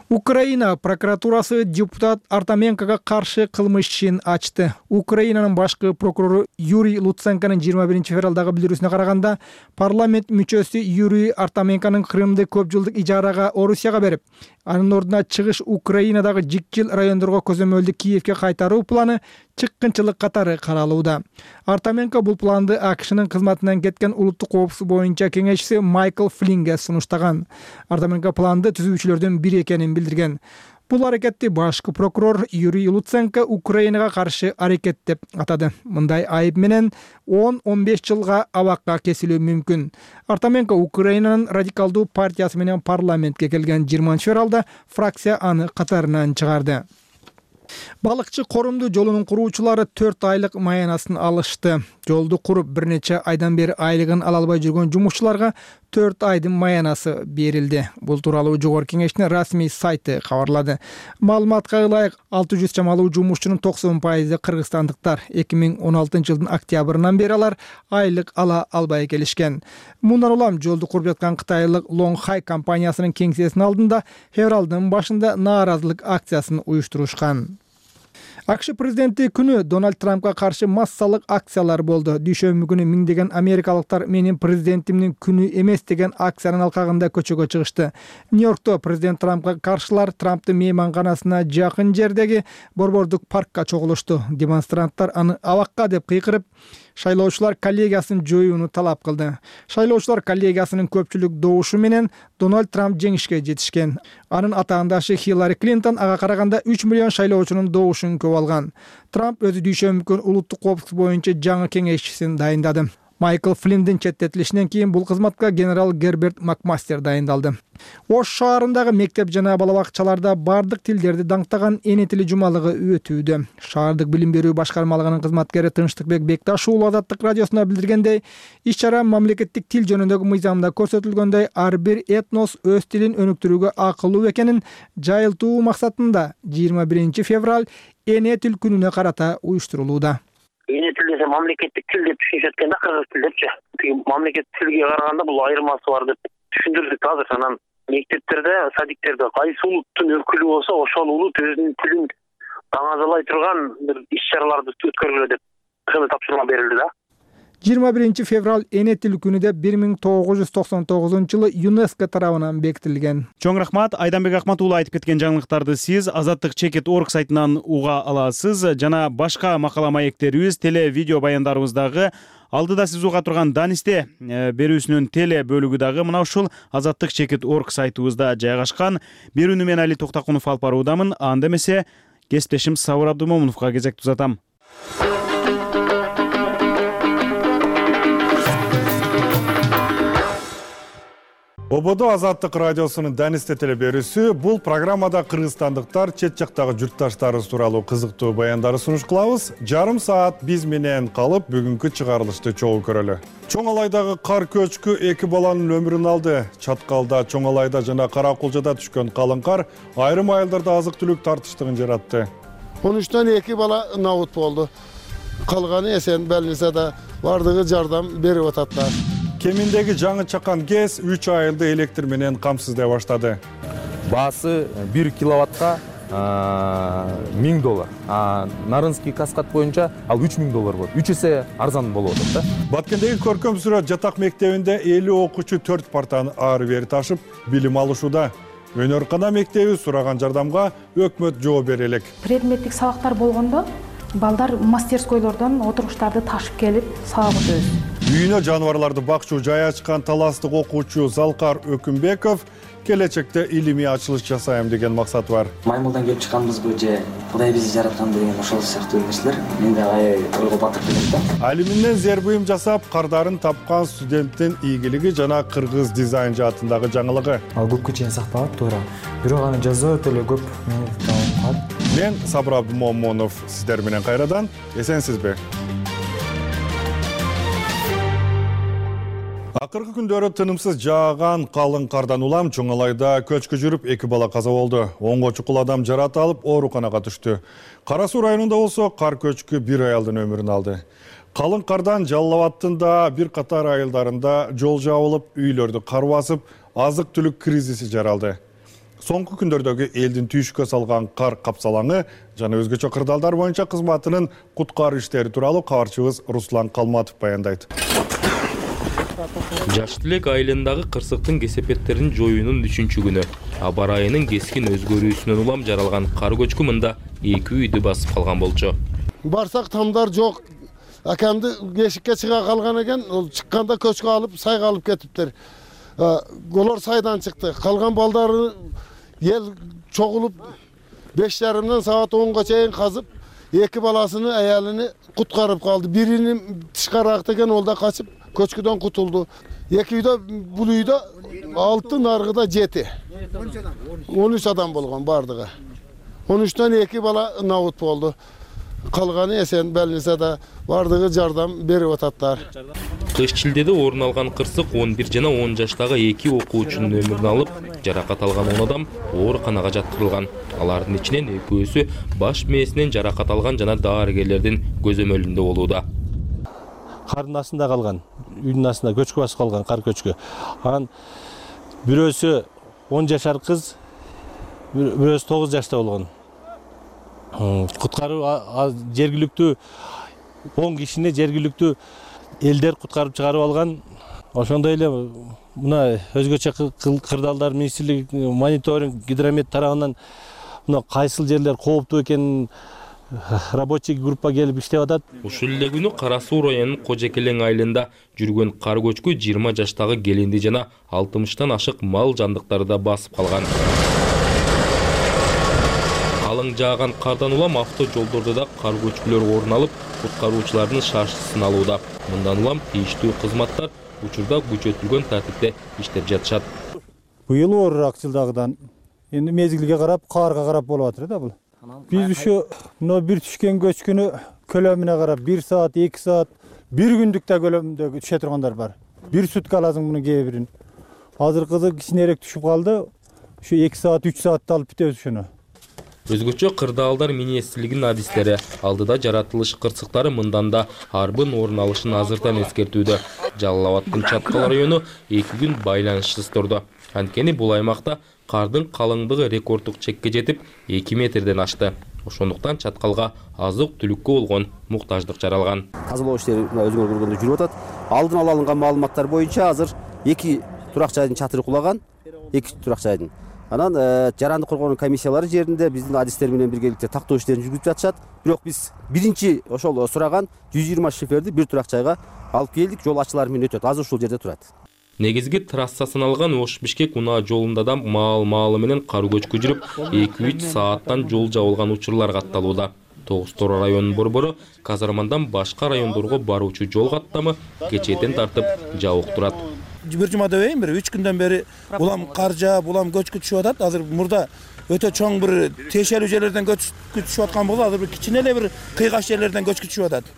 Украина прокуратурасы депутат Артаменкага каршы кылмыш ишин ачты. Украинанын башкы прокурору Юрий Луценконун жыйырма биринчи февралдагы билдирүүсүнө караганда, парламент мүчөсү Юрий Артаменконун Крымды көп жылдык ижарага Орусияга берип, анын ордуна чыгыш Украинадагы жикчил райондорго көзөмөлдү Киевке кайтаруу планы чыккынчылык катары каралууда. Артаменко бул планды АКШнын кызматынан кеткен улуттук коопсуздук боюнча кеңешчиси Майкл Флинге сунуштаган. Артаменко планды түзүүчүлөрдүн бири экенин билдирген. Бул аракетти башкы прокурор Юрий Луценко Украинага каршы аракет деп атады. Мындай айып менен он он беш жылга абакка кесилүү мүмкүн. Артаменко Украинанын радикалдуу партиясы менен парламентке келген жыйырманчы февралда фракция аны катарынан чыгарды. Балыкчы Корумду жолунун куруучулары төрт айлык маянасын алышты. Жолду куруп бир нече айдан бери айлыгын ала албай жүргөн жумушчуларга төрт айдын маянасы берилди. Бул тууралуу Жогорку Кеңештин расмий сайты кабарлады. Маалыматка ылайык, алты жүз чамалуу жумушчунун токсон пайызы кыргызстандыктар. эки миң он алтынчы жылдын октябрынан бери алар айлык ала албай келишкен. Мындан улам жолду куруп жаткан кытайлык Лонгхай компаниясынын кеңсесинин алдында февралдын башында нааразылык акциясын уюштурушкан. АКШ президенти күнү Дональд Трампка каршы массалык акциялар болду. Дүйшөмбү күнү миңдеген америкалыктар менин президентимдин күнү эмес деген акциянын алкагында көчөгө чыгышты. Нью-Йоркто президент Трампка каршылар Трамптын мейманканасына жакын жердеги борбордук паркка чогулушту. Демонстранттар аны абакка деп кыйкырып, шайлоочулар коллегиясын жоюуну талап кылды. Шайлоочулар коллегиясынын көпчүлүк добушу менен Дональд Трамп жеңишке жетишкен. Анын атаандашы Хиллари Клинтон ага караганда үч миллион шайлоочунун добушун көп алган. Трамп өзү дүйшөмбү күнү улуттук коопсуздук боюнча жаңы кеңешчисин дайындады. Майкл Флинндин четтетилишинен кийин бул кызматка генерал Герберт Макмастер дайындалды. Ош шаарындагы мектеп жана бала бакчаларда бардык тилдерди даңктаган эне тили жумалыгы өтүүдө. Шаардык билим берүү башкармалыгынын кызматкери Тынчтыкбек Бекташ уулу Азаттык радиосуна билдиргендей, иш-чара мамлекеттик тил жөнүндөгү мыйзамда көрсөтүлгөндөй ар бир этнос өз тилин өнүктүрүүгө акылуу экенин жайылтуу максатында жыйырма биринчи февраль эне тил күнүнө карата уюштурулууда. Эне тил десе мамлекеттик тил деп түшүнүшөт экен да, кыргыз тил депчи. Тиги мамлекеттик тилге караганда бул айырмасы бар деп түшүндүрдүк азыр. Анан мектептерде, садиктерде кайсы улуттун өкүлү болсо, ошол улут өзүнүн тилин даңазалай турган бир иш-чараларды өткөргүлө деп ошондой тапшырма берилди да. жыйырма биринчи февраль эне тил күнү деп бир миң тогуз жүз токсон тогузунчу жылы ЮНЕСКО тарабынан бекитилген. Чоң рахмат. Айданбек Акмат уулу айтып кеткен жаңылыктарды сиз Азаттык чекит точка орг сайтынан уга аласыз. Жана башка макала маектерибиз, теле видео баяндарыбыздагы алдыда сиз уга турган Данисте берүүсүнүн теле бөлүгү дагы мына ушул Азаттык чекит точка орг сайтыбызда жайгашкан. Берүүнү мен Али Токтакунов алып баруудамын. Анда эмесе кесиптешим Сабыр Абдумомуновго кезекти узатам. Ободо Азаттык радиосунун Данисте теле берүүсү. Бул программада кыргызстандыктар чет жактагы журтташтарыбыз тууралуу кызыктуу баяндарды сунуш кылабыз. Жарым саат биз менен калып, бүгүнкү чыгарылышты чогуу көрөлү. Чоң Алайдагы кар көчкү эки баланын өмүрүн алды. Чаткалда, Чоң Алайда жана Каракулжада түшкөн калың кар айрым айылдарда азык-түлүк тартыштыгын жаратты. он үчтөн эки бала набут болду. Калганы эсен, белинисе да бардыгы жардам берип ататтар. Кеминдеги жаңы чакан ГЭС үч айылды электр менен камсыздай баштады. Баасы бир киловаттка миң доллар. А Нарынский каскад боюнча ал үч миң доллар болот. үч эсе арзан болуп атат да. Баткендеги көркөм сүрөт жатак мектебинде элүү окуучу төрт партаны ары бери ташып билим алышууда. Өнөркана мектеби сураган жардамга өкмөт жооп бере элек. Предметтик сабактар болгондо балдар мастерскойлордон отургучтарды ташып келип сабак өтөбүз. Үйүнө жаныбарларды бакчуу жай ачкан таластык окуучу Залкар Өкүмбеков келечекте илимий ачылыш жасайм деген максат бар. Маймылдан келип чыкканбызбы же Кудай бизди жараткан деген ошол сыяктуу нерселер менде аябай ойго батып келет да. Алиминден зер буюм жасап, кардарын тапкан студенттин ийгилиги жана кыргыз дизайн жаатындагы жаңылыгы. Ал көпкө чейин сакталат, туура. Бирок аны жазуу өтө эле көп мени таап. Мен Сабыр Абдумомунов сиздер менен кайрадан эсенсизби? Акыркы күндөрү тынымсыз жааган калың кардан улам Чоң Алайда көчкү жүрүп эки бала каза болду. онго чукул адам жарат алып ооруканага түштү. Кара Суу районунда болсо кар көчкү бир аялдын өмүрүн алды. Калың кардан Жалал Абадтын да бир катар айылдарында жол жабылып, үйлөрдү кар басып, азык-түлүк кризиси жаралды. Соңку күндөрдөгү элдин түйшүккө салган кар капсалаңы жана өзгөчө кырдаалдар боюнча кызматынын куткаруу иштери тууралуу кабарчыбыз Руслан Калматов баяндайт. Жаш Тилек айылындагы кырсыктын кесепеттерин жоюунун үчүнчү күнү. Аба ырайынын кескин өзгөрүүсүнөн улам жаралган кар көчкү мында эки үйдү басып калган болчу. Барсак тамдар жок. Акамды эшикке чыга калган экен, ол чыкканда көчкү алып сайга алып кетиптер. Голор сайдан чыкты. Калган балдары ел чогулуп беш жарымдан саат онго чейин казып, эки баласыны, аялыны куткарып калды. Бирини тышкарак деген, ол да качып көчкүдөн кутулду. Эки үйдө, бул үйдө алты, наргыда жети. он үч адам болгон бардыгы. он үчтөн эки бала набут болду. Калганы эсен, белинисе да бардыгы жардам берип ататтар. Кыш шилдеде орун алган кырсык он бир жана он жаштагы эки окуучунун өмүрүн алып, жаракат алган он адам ооруканага жаткырылган. Алардын ичинен экөөсү баш мээсинен жаракат алган жана дарыгерлердин көзөмөлүндө болууда. Кардын астында калган, үйдүн астында көчкү басып калган кар көчкү. Анан бирөөсү он жашар кыз, бирөөсү тогуз жашта болгон. Куткаруу жергиликтүү он кишини жергиликтүү элдер куткарып чыгарып алган. Ошондой эле мына өзгөчө кырдаалдар министрлиги мониторинг гидромет тарабынан мына кайсыл жерлер кооптуу экенин рабочий группа келип иштеп атат. Ушул эле күнү Кара Суу районунун Кожекелең айылында жүргөн кар көчкү жыйырма жаштагы келинди жана алтымыштан ашык мал жандыктарды да басып калган. калың жааган кардан улам авто жолдордо да кар көчкүлөр орун алып, куткаруучулардын шашсын алууда. Мындан улам тийиштүү кызматтар учурда күчөтүлгөн тартипте иштеп жатышат. Быйыл оорураак жылдагыдан. Эми мезгилге карап, карга карап болуп атыр да бул. Биз ушу мына бир түшкөн көчкүнү көлөмүнө карап бир саат, эки саат, бир күндүк да көлөмдө түшө тургандар бар. Бир сутка аласың муну кээ бирин. Азыркысы кичинерээк түшүп калды. Ушу эки саат, үч саатта алып бүтөбүз ушуну. Өзгөчө кырдаалдар министрлигинин адистери алдыда жаратылыш кырсыктары мындан да арбын орун алышын азыртан эскертүүдө. Жалал Абаддын Чаткал району эки күн байланышсыз турду. Анткени бул аймакта кардын калыңдыгы рекорддук чекке жетип эки метрден ашты. Ошондуктан Чаткалга азык-түлүккө болгон муктаждык жаралган. Тазалоо иштери өзүңөр көргөндөй жүрүп атат. Алдын ала алынган маалыматтар боюнча азыр эки турак жайдын чатыры кулаган, эки турак жайдын. Анан жаранды коргоонун комиссиялары жеринде биздин адистер менен биргеликте тактоо иштерин жүргүзүп жатышат. Бирок биз биринчи ошол сураган жүз жыйырма шиферди бир турак жайга алып келдик. Жол ачылар менен өтөт. Азыр ушул жерде турат. Негизги трасса саналган Ош-Бишкек унаа жолунда да маал-маалы менен кар көчкү жүрүп, эки үч сааттан жол жабылган учурлар катталууда. Тогуз Тора районунун борбору Казармандан башка райондорго баруучу жол каттамы кечээден тартып жабык турат. Бир жума дебейм, бир үч күндөн бери улам кар жаап, улам көчкү түшүп атат. Азыр мурда өтө чоң бир тиешелүү жерлерден көчкү түшүп аткан болду. Азыр бир кичине эле бир кыйгаш жерлерден көчкү түшүп атат.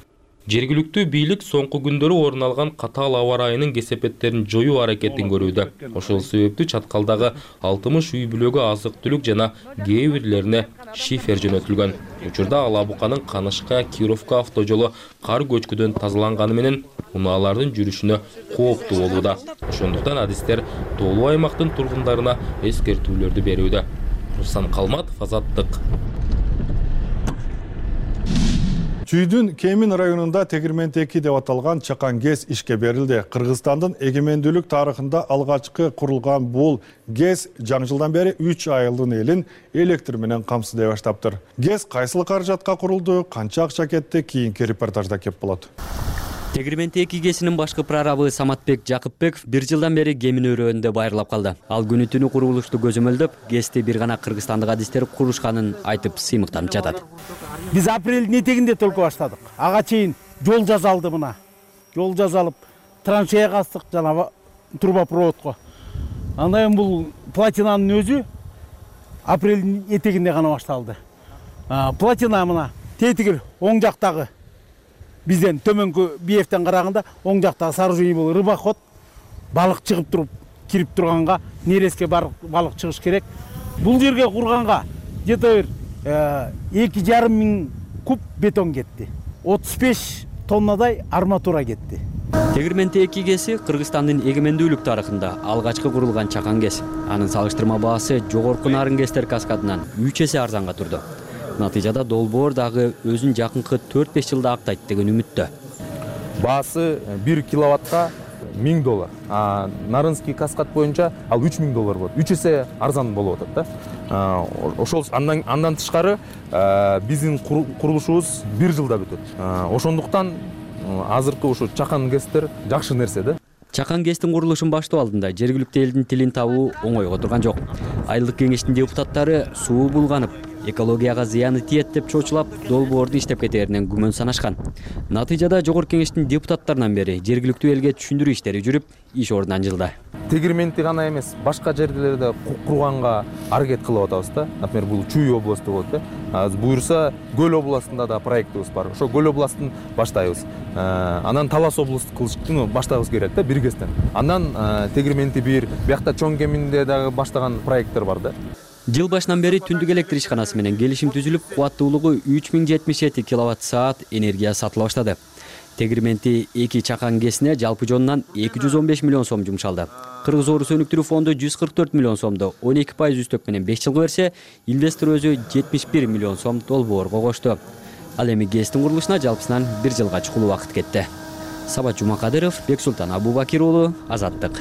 Жергиликтүү бийлик соңку күндөрү орун алган катаал аба ырайынын кесепеттерин жоюу аракетин көрүүдө. Ошол себептүү Чаткалдагы алтымыш үй бүлөгө азык-түлүк жана кээ бирлерине шифер жөнөтүлгөн. Учурда Алабуканын Канышка Кировка автожолу кар көчкүдөн тазаланганы менен унаалардын жүрүшүнө кооптуу болууда. Ошондуктан адистер тоолуу аймактын тургундарына эскертүүлөрдү берүүдө. Руслан Калматов, Азаттык. Чүйдүн Кемин районунда Тегирменти эки деп аталган чакан ГЭС ишке берилди. Кыргызстандын эгемендүүлүк тарыхында алгачкы курулган бул ГЭС жаңы жылдан бери үч айылдын элин электр менен камсыздай баштаптыр. ГЭС кайсыл каражатка курулду, канча акча кетти, кийинки репортажда кеп болот. Тегирменти эки ГЭСинин башкы прорабы Саматбек Жакыпбеков бир жылдан бери Кемин өрөөнүндө байырлап калды. Ал күнү түнү курулушту көзөмөлдөп, ГЭСти бир гана кыргызстандык адистер курушканын айтып сыймыктанып жатат. Биз апрелдин этегинде только баштадык. Ага чейин жол жасалды мына. Жол жасалып, траншея кастык жана трубопроводко. Андан кийин бул платинанын өзү апрелдин этегинде гана башталды. Платина мына тетигил оң жактагы бизден төмөнкү биевтен караганда оң жактагы сооружение бул рыбоход, балык чыгып туруп кирип турганга нереске балык чыгыш керек. Бул жерге курганга где-то бир эки жарым миң куб бетон кетти. отуз беш тоннадай арматура кетти. Тегирменти эки ГЭСи Кыргызстандын эгемендүүлүк тарыхында алгачкы курулган чакан ГЭС. Анын салыштырма баасы жогорку нарын ГЭСтер каскадынан үч эсе арзанга турду. Натыйжада долбоор дагы өзүн жакынкы төрт беш жылда актайт деген үмүттө. Баасы бир киловаттка миң доллар. А Нарынский каскад боюнча ал үч миң доллар болот. үч эсе арзан болуп атат да. Ошол андан андан тышкары биздин курулушубуз бир жылда бүтөт. Ошондуктан азыркы ушу чакан ГЭСтер жакшы нерсе да. Чакан ГЭСтин курулушун баштоо алдында жергиликтүү элдин тилин табуу оңойго турган жок. Айылдык кеңештин депутаттары суу булганып, экологияга зыяны тиет деп чочулап, долбоорду иштеп кетээринен күмөн санашкан. Натыйжада жогорку кеңештин депутаттарынан бери жергиликтүү элге түшүндүрүү иштери жүрүп, иш ордунан жылды. Тегирменти гана эмес, башка жерлерде курганга аракет кылып атабыз да. Например, бул Чүй областу болот да. Буюрса, Көл областында да проектибиз бар. Ошо Көл областын баштайбыз. Анан Талас областын кылыштыны баштабыз керек да, бир ГЭСтен. Андан Тегирменти бир, биякта Чоң Кеминде дагы баштаган проекттер бар да. Жыл башынан бери түндүк электр ишканасы менен келишим түзүлүп, кубаттуулугу үч миң жетимиш жети киловатт саат энергия сатыла баштады. Тегирменти эки чакан ГЭСине жалпы жонунан эки жүз он беш миллион сом жумшалды. Кыргыз Оору Сөнүктүрүү фонду жүз кырк төрт миллион сомду он эки пайыз үстөк менен беш жылга берсе, инвестор өзү жетимиш бир миллион сом долбоорго кошту. Ал эми ГЭСтин курулушуна жалпысынан бир жылга чукул убакыт кетти. Сабат Жумакадыров, Бексултан Абубакир уулу, Азаттык.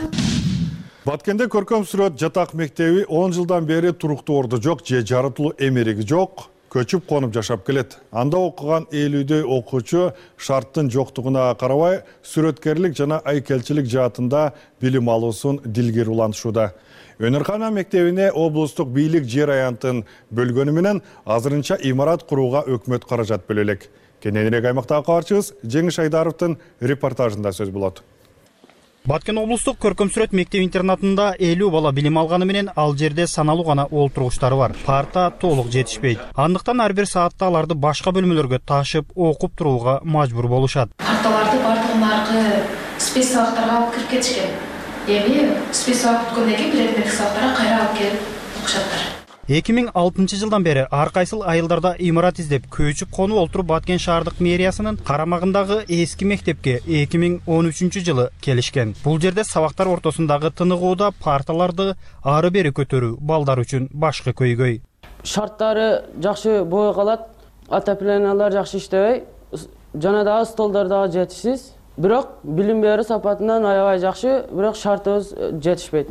Баткенде көркөм сүрөт жатак мектеби он жылдан бери туруктуу орду жок, же жаратылуу эмериги жок, көчүп конуп жашап келет. Анда окуган элүүдөй окуучу шарттын жоктугуна карабай, сүрөткерлик жана айкелчилик жаатында билим алуусун дилгер улантышууда. Өнөркана мектебине облустук бийлик жер аянтын бөлгөнү менен азырынча имарат курууга өкмөт каражат бөлө элек. Кененирээк аймактагы кабарчыбыз Жеңиш Айдаровдун репортажында сөз болот. Баткен облустук көркөм сүрөт мектеп-интернатында элүү бала билим алганы менен ал жерде саналуу гана олтургучтары бар. Парта толук жетишпейт. Андыктан ар бир саатта аларды башка бөлмөлөргө ташып, окуп турууга мажбур болушат. Парталарды бардыгын аркы спец сабактарга алып кирип кетишкен. Эми спец сабак бүткөндөн кийин предметтик сабактарга кайра алып келип окушаттар. эки миң алтынчы жылдан бери ар кайсыл айылдарда имарат издеп көчүп конуп олтуруп Баткен шаардык мэриясынын карамагындагы эски мектепке эки миң он үчүнчү жылы келишкен. Бул жерде сабактар ортосундагы тыныгууда парталарды ары бери көтөрүү балдар үчүн башкы көйгөй. Шарттары жакшы бой калат, отоплениялар жакшы иштебей, жана дагы столдор дагы жетишсиз. Бирок билим берүү сапатынан аябай жакшы, бирок шартыбыз жетишпейт.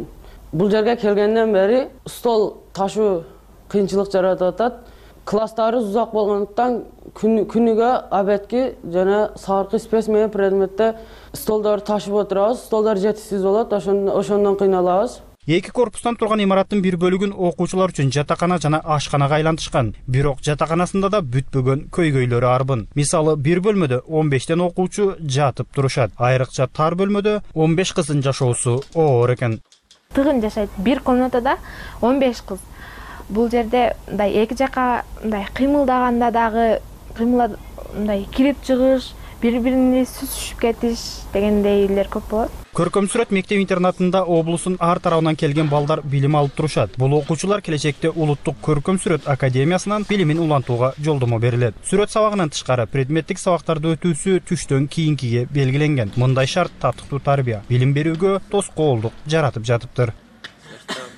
Бул жерге келгенден бери стол ташуу кыйынчылык жаратып атат. Класстары узак болгондуктан күнүгө обедки жана саркы спец менен предметте столдорду ташып отурабыз. Столдор жетишсиз болот, ошондон кыйналабыз. Эки корпустан турган имараттын бир бөлүгүн окуучулар үчүн жатакана жана ашканага айлантышкан. Бирок жатаканасында да бүтпөгөн көйгөйлөрү арбын. Мисалы, бир бөлмөдө он бештен окуучу жатып турушат. Айрыкча тар бөлмөдө он беш кыздын жашоосу оор экен. Тыгын жашайт. Бир комнатада он беш кыз. Бул жерде мындай эки жака мындай кыймылдаганда дагы кыймылда мындай кирип чыгыш, бири-биrini сүзүшүп кетиш дегендейлер көп болот. Көркөм сүрөт мектеп-интернатында облустун ар тарабынан келген балдар билим алып турушат. Бул окуучулар келечекте улуттук көркөм сүрөт академиясынан билимин улантууга жолдомо берилет. Сүрөт сабагынан тышкары предметтик сабактарды өтүүсү түштөн кийинкиге белгиленген. Мындай шарт тартыктуу тарбия билим берүүгө тоскоолдук жаратып жатыптыр.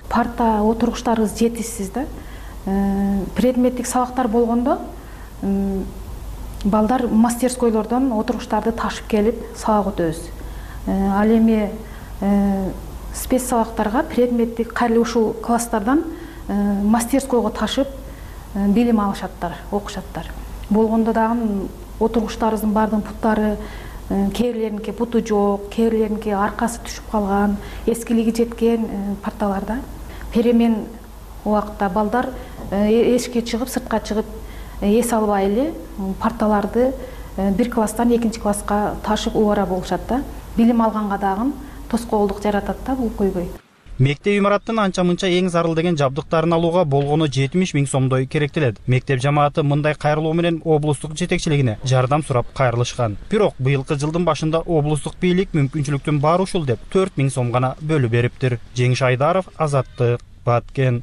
Парта отургучтарыбыз жетишсиз да. Предметтик сабактар болгондо балдар мастерскойлордон отургучтарды ташып келип сабак өтөбүз. Ал эми спец сабактарга предметтик кайрылуу ушул класстардан мастерскойго ташып билим алышаттар, окушаттар. Болгондо дагы отургучтарыбыздын бардыгынын путтары кээрлеринки путу жок, кээрлеринки аркасы түшүп калган, эскилиги жеткен парталарда. Перемен убакытта балдар эшикке чыгып, сыртка чыгып эс албай эле парталарды бир класстан экинчи класска ташып убара болушат да. Билим алганга дагы тоскоолдук жаратат да бул көйгөй. Мектеп имараттын анча-мынча эң зарыл деген жабдыктарын алууга болгону жетимиш миң сомдой керектелет. Мектеп жамааты мындай кайрылуу менен облустук жетекчилигине жардам сурап кайрылышкан. Бирок быйылкы жылдын башында облустук бийлик мүмкүнчүлүктүн баары ушул деп төрт миң сом гана бөлүп бериптир. Жеңиш Айдаров, Азаттык, Баткен.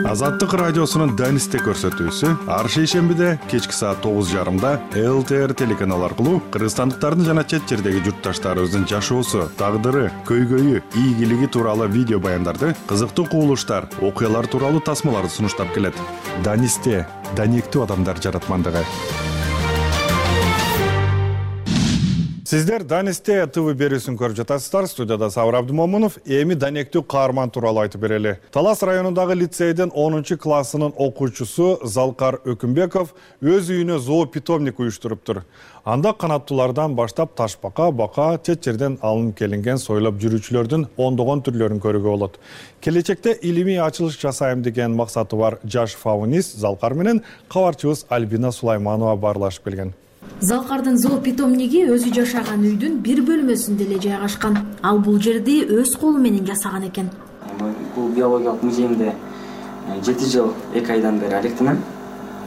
Азаттык радиосунун Данисте көрсөтүүсү ар шейшембиде кечки саат тогуз жарымда эл тэ эр телеканалы аркылуу кыргызстандыктардын жана чет жердеги журтташтарыбыздын жашоосу, тагдыры, көйгөйү, ийгилиги тууралуу видео баяндарды, кызыктуу кубулуштар, окуялар тууралуу тасмаларды сунуштап келет. Данисте данектүү адамдар жаратмандыгы. Сиздер Данисте ТВ берүүсүн көрүп жатасыздар. Студияда Сабыр Абдымомунов. Эми данектүү каарман тууралуу айтып берели. Талас районундагы лицейдин онунчу классынын окуучусу Залкар Өкүмбеков өз үйүнө зоопитомник уюштуруптур. Анда канаттуулардан баштап ташбака, бака, чет жерден алынып келинген сойлоп жүрүүчүлөрдүн ондогон түрлөрүн көрүүгө болот. Келечекте илимий ачылыш жасайм деген максаты бар жаш фаунист Залкар менен кабарчыбыз Альбина Сулайманова баарлашып келген. Залкардын зоопитомниги өзү жашаган үйдүн бир бөлмөсүндө эле жайгашкан. Ал бул жерди өз колу менен жасаган экен. Бул биологиялык музейимде жети жыл эки айдан бери алектимин.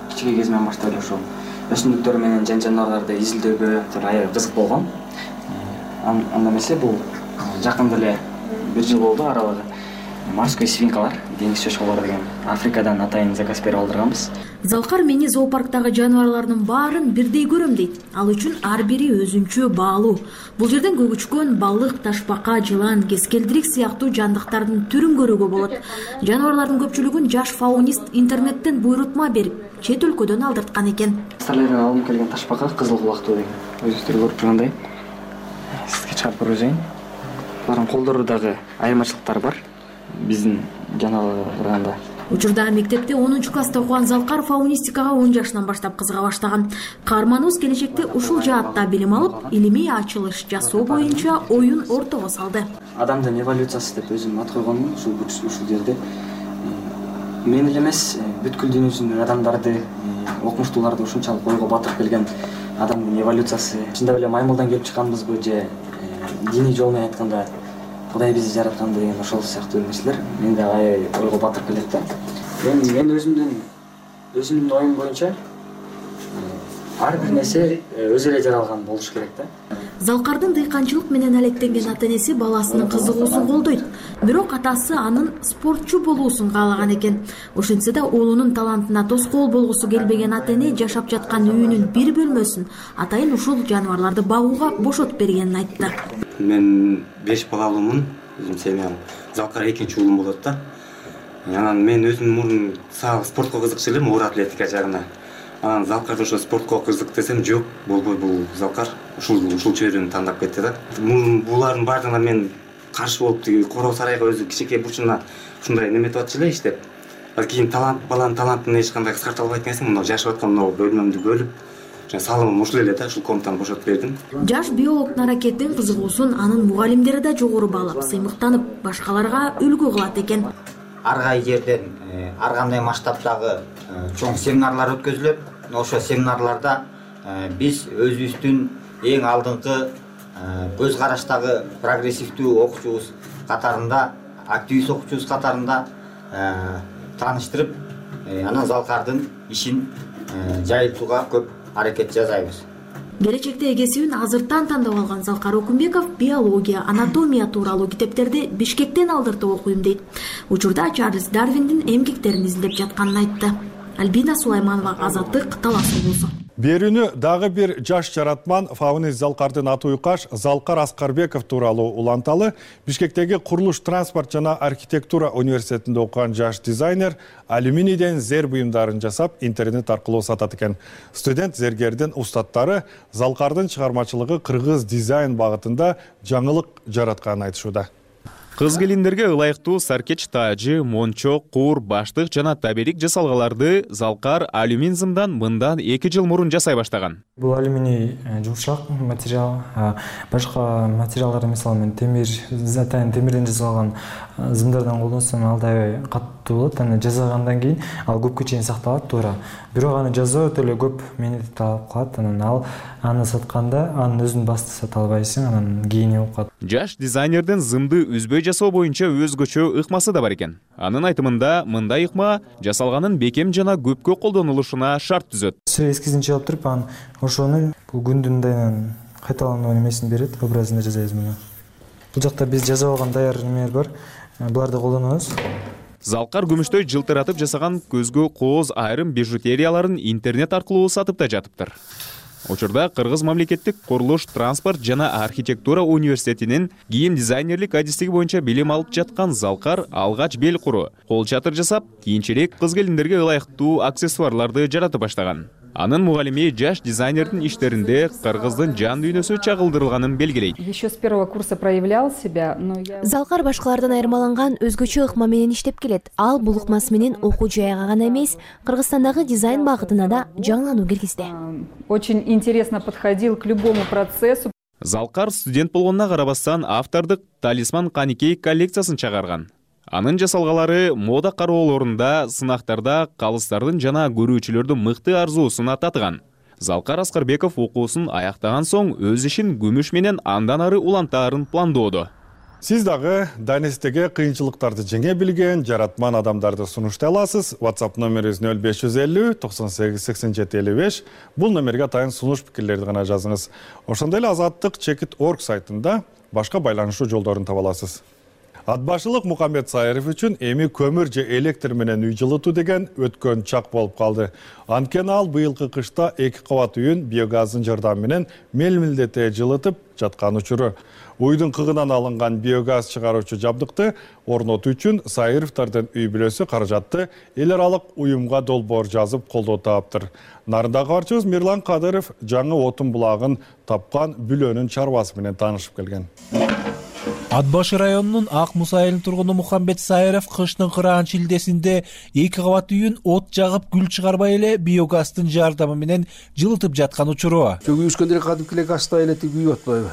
Кичине кезимден баштап эле ошол өсүмдүктөр менен жан жаныбарларды изилдөөгө аябай кызык болгон. Анда эмесе бул жакында эле бир жыл болду аралыгы. Морской свинкалар, деңиз чочколору деген Африкадан атайын заказ берип алдырганбыз. Залкар мени зоопарктагы жаныбарлардын баарын бирдей көрөм дейт. Ал үчүн ар бири өзүнчө баалуу. Бул жерден көгүчкөн, балык, ташбака, жылан, кескелдирик сыяктуу жандыктардын түрүн көрүүгө болот. Жаныбарлардын көпчүлүгүн жаш фаунист интернеттен буйрутма берип, чет өлкөдөн алдырткан экен. Старлерден алынып келген ташбака кызыл кулактуу деген. Өзүңүздөр көрүп тургандай. Сизге чыгарып көрсөйүн. Булардын колдору дагы айырмачылыктары бар. Биздин жаныбарларда. Учурда мектепте онунчу класста окуган Залкар фаунистикага он жашынан баштап кызыга баштаган. Каарманыбыз келечекте ушул жаатта билим алып, илимий ачылыш жасоо боюнча оюн ортого салды. адамдын эволюциясы деп өзүм ат койгонмун ушул ушул жерде. Мен эле эмес, бүткүл дүйнө жүзүндөгү адамдарды, окумуштууларды ушунчалык ойго батырып келген адамдын эволюциясы чындап эле маймылдан келип чыкканбызбы же диний жол менен айтканда Кудай бизди жаратканбы деген ошол сыяктуу нерселер менде аябай ойго батырып келет да. Мен мен өзүмдүн өзүмдүн оюм боюнча ар бир нерсе өзү эле жаралган болуш керек да. Залкардын дыйканчылык менен алектенген ата-энеси баласынын кызыгуусун колдойт. Бирок атасы анын спортчу болуусун каалаган экен. Ошентсе да уулунун талантына тоскоол болгусу келбеген ата-эне жашап жаткан үйүнүн бир бөлмөсүн атайын ушул жаныбарларды багууга бошотуп бергенин айтты. Мен беш балалуумун, өзүм семьям. Залкар экинчи уулум болот да. Анан мен өзүм мурун сак спортко кызыкчу элем, оор атлетика жагына. Анан Залкарда ошо спортко кызык десем, жок, болбой бул Залкар ушул ушул чөйрөнү тандап кетти да. Мурун булардын баардыгына мен каршы болуп тиги короо сарайга өзү кичинекей бурчуна ушундай неметип атчу эле иштеп. Ал кийин талант баланын талантын эч кандай кыскарта албайт экенсиң, мына жашап аткан мына бөлмөмдү бөлүп, жана салымым ушул эле да, ушул комнатаны бошотуп бердим. Жаш биологдун аракеттин кызыгуусун анын мугалимдери да жогору баалап, сыймыктанып, башкаларга үлгү кылат экен. Ар кай жерден ар кандай масштабтагы чоң семинарлар өткөзүлөт. Ошо семинарларда биз өзүбүздүн эң алдыңкы көз караштагы прогрессивдүү окуучубуз катарында, активист окуучубуз катарында тааныштырып, анан Залкардын ишин жайылтууга көп аракет жасайбыз. Келечекте эгесибин азыртан тандап алган Залкар Окунбеков биология, анатомия тууралуу китептерди Бишкектен алдыртып окуйм дейт. Учурда Чарльз Дарвиндин эмгектерин изилдеп жатканын айтты. Альбина Сулайманова, Азаттык, Талас облусу. Берүүнү дагы бир жаш жаратман Фауниз Залкардын аты уйкаш Залкар Аскарбеков тууралуу уланталы. Бишкектеги Курулуш, транспорт жана архитектура университетинде окуган жаш дизайнер алюминийден зер буюмдарын жасап интернет аркылуу сатат экен. Студент зергердин устаттары Залкардын чыгармачылыгы кыргыз дизайн багытында жаңылык жаратканын айтышууда. Кыз келиндерге ылайыктуу саркеч таажы, мончо, куур, баштык жана табелик жасалгаларды Залкар алюминзымдан мындан эки жыл мурун жасай баштаган. Бул алюминий жумшак материал, башка материалдар мисалы мен темир, затайн темирден жасалган зымдардан колдонсом ал да каттуу болот. Аны жасагандан кийин ал көпкө чейин сакталат туура. Бирок аны жасоо өтө эле көп мени талап кылат. Анан ал аны сатканда анын өзүн басты сата албайсың, анан кийини болуп калат. Жаш дизайнердин зымды үзбөй жасоо боюнча өзгөчө ыкмасы да бар экен. Анын айтымында мындай ыкма жасалганын бекем жана көпкө колдонулушуна шарт түзөт. Эскизин чыгып туруп, анан ошону бул күндүн дайынан кайталануу немесин берет, образын жасайбыз муну. Бул жакта биз жасап алган даяр немелер бар. Буларды колдонобуз. Залкар күмүштөй жылтыратып жасаган көзгө кооз айрым бижутерияларын интернет аркылуу сатып да жатыптыр. Учурда Кыргыз мамлекеттик Курулуш, транспорт жана архитектура университетинин кийим дизайнерлик адистиги боюнча билим алып жаткан Залкар алгач бел куру, кол чатыр жасап, кийинчерээк кыз келиндерге ылайыктуу аксессуарларды жаратып баштаган. Анын мугалими жаш дизайнердин иштеринде кыргыздын жан дүйнөсү чагылдырылганын белгилейт. Еще с первого курса проявлял себя, но я... Залкар башкалардан айырмаланган өзгөчө ыкма менен иштеп келет. Ал бул ыкмасы менен окуу жайга гана эмес, Кыргызстандагы дизайн багытына да жаңылануу киргизди. Очень интересно подходил к любому процессу. Залкар студент болгонуна карабастан автордук Талисман Каникей коллекциясын чыгарган. Анын жасалгалары мода кароолорунда, сынактарда калыстардын жана көрүүчүлөрдүн мыкты арзуусуна татыган. Залкар Аскарбеков окуусун аяктаган соң өз ишин күмүш менен андан ары улантаарын пландоодо. Сиз дагы дайнестеге кыйынчылыктарды жеңе билген жаратман адамдарды сунуштай аласыз. WhatsApp номерибиз нөл беш жүз элүү токсон сегиз сексен жети элүү беш. Бул номерге атайын сунуш пикирлерди гана жазыңыз. Ошондой эле Азаттык чекит точка орг сайтында башка байланышуу жолдорун таба аласыз. Атбашылык Мухаммед Сайыров үчүн эми көмүр же электр менен үй жылытуу деген өткөн чак болуп калды. Анткени ал быйылкы кышта эки кабат үйүн биогаздын жардамы менен мелмилдете жылытып жаткан учуру. Уйдун кыгынан алынган биогаз чыгаруучу жабдыкты орнотуу үчүн Сайыровдордун үй бүлөсү каражатты эл аралык уюмга долбоор жазып колдоо таптыр. Нарындагы кабарчыбыз Мирлан Кадыров жаңы отун булагын тапкан бүлөнүн чарбасы менен таанышып келген. Ат башы районунун Ак Муса айылынын тургуну Мухамбет Сайыров кыштын кыраан шилдесинде эки кабат үйүн от жагып гүл чыгарбай эле биогастын жардамы менен жылытып жаткан учуру. Күйүшкөндө кадимки эле газда эле күйүп атпайбы?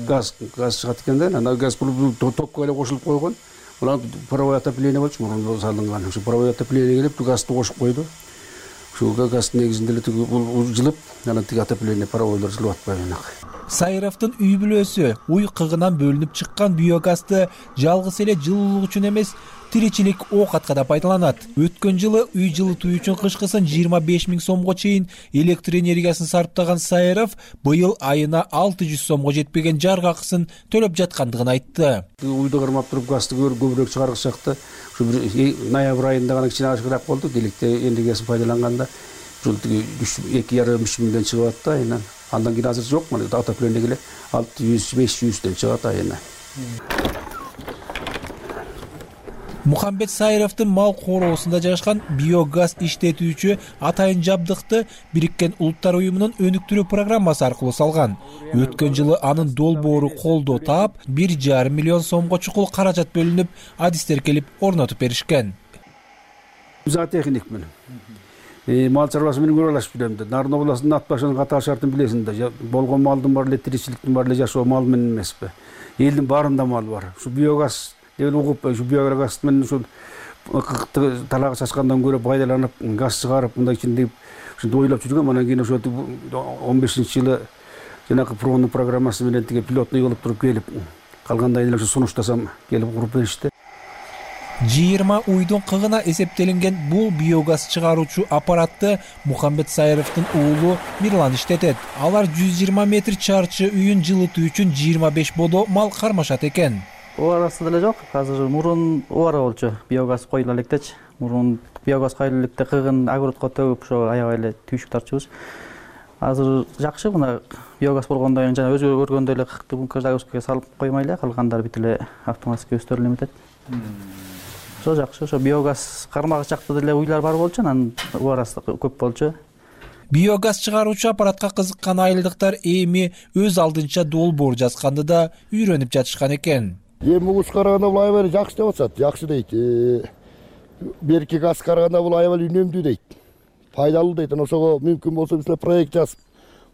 Газ газ чыгат экен да, анан газ топко эле кошулуп койгон. Улам паровой отопление болчу, мурун салынган. Ушу паровой отопление келип газды кошуп койду. Ушу газ негизинде эле жылып, анан тиги отопление паровойлор жылып атпайбы. Сайыровдун үй бүлөсү уй кыгынан бөлүнүп чыккан биогазды жалгыз эле жылуулук үчүн эмес, тиричилик оокатка да пайдаланат. Өткөн жылы үй жылытуу үчүн кышкысын жыйырма беш миң сомго чейин электр энергиясын сарптаган Сайыров быйыл айына алты жүз сомго жетпеген жарык акысын төлөп жаткандыгын айтты. Уйду кармап туруп газды көбүрөөк чыгаргычакты. Ушу ноябрь айында гана кичине ашыгыраак болду. Электр энергиясын пайдаланганда ушул эки жарым үч миңден чыгып атты айынан. Андан кийин азыр жок, мына отопление келе алты жүз беш жүздөн чыгат айына. Мухамбет Сайыровдун мал короосунда жайгашкан биогаз иштетүүчү атайын жабдыкты Бириккен Улуттар уюмунун өнүктүрүү программасы аркылуу салган. Өткөн жылы анын долбоору колдоо таап, бир жарым миллион сомго чукул каражат бөлүнүп, адистер келип орнотуп беришкен. Зоотехникмин. Мал чарбасы менен көрөлөшүп жүрөм да. Нарын областынын ат башынын катаал шартын билесиң да. Болгон малдын бар эле тиричиликтин бар эле жашоо мал менен эмеспи. Элдин баарында мал бар. Ушу биогаз деген угуп, ушу биогаз менен ушул талагы чачкандан көрө пайдаланып, газ чыгарып, мындай ичинде ушинтип ойлоп жүргөм. Анан кийин ошо он бешинчи жылы жанагы пронун программасы менен тиги пилотный кылып туруп келип, калгандай эле ушу сунуштасам келип куруп беришти. жыйырма уйдун кыгына эсептелинген бул биогаз чыгаруучу аппаратты Мухамбет Сайыровдун уулу Мирлан иштетет. Алар жүз жыйырма метр чарчы үйүн жылытуу үчүн жыйырма беш бодо мал кармашат экен. Оорасы деле жок. Азыр мурун оора болчу. Биогаз коюла электечи. Мурун биогаз коюла электе кыгын огородко төгүп ошо аябай эле түйшүк тартчубуз. Азыр жакшы, мына биогаз болгондон кийин жана өзү көргөндөй эле кыкты бункер загрузкага салып коймой эле, калгандары бүт эле автоматически өздөрү эметет. Ошо жакшы, ошо биогаз кармагы чакта деле уйлар бар болчу, анан оорасы көп болчу. Биогаз чыгаруучу аппаратка кызыккан айылдыктар эми өз алдынча долбоор жазганды да үйрөнүп жатышкан экен. Эми угуч караганда бул аябай жакшы деп атышат, жакшы дейт. Берки газ караганда бул аябай үнөмдүү дейт. Пайдалуу дейт. Ошого мүмкүн болсо биз проект жазып,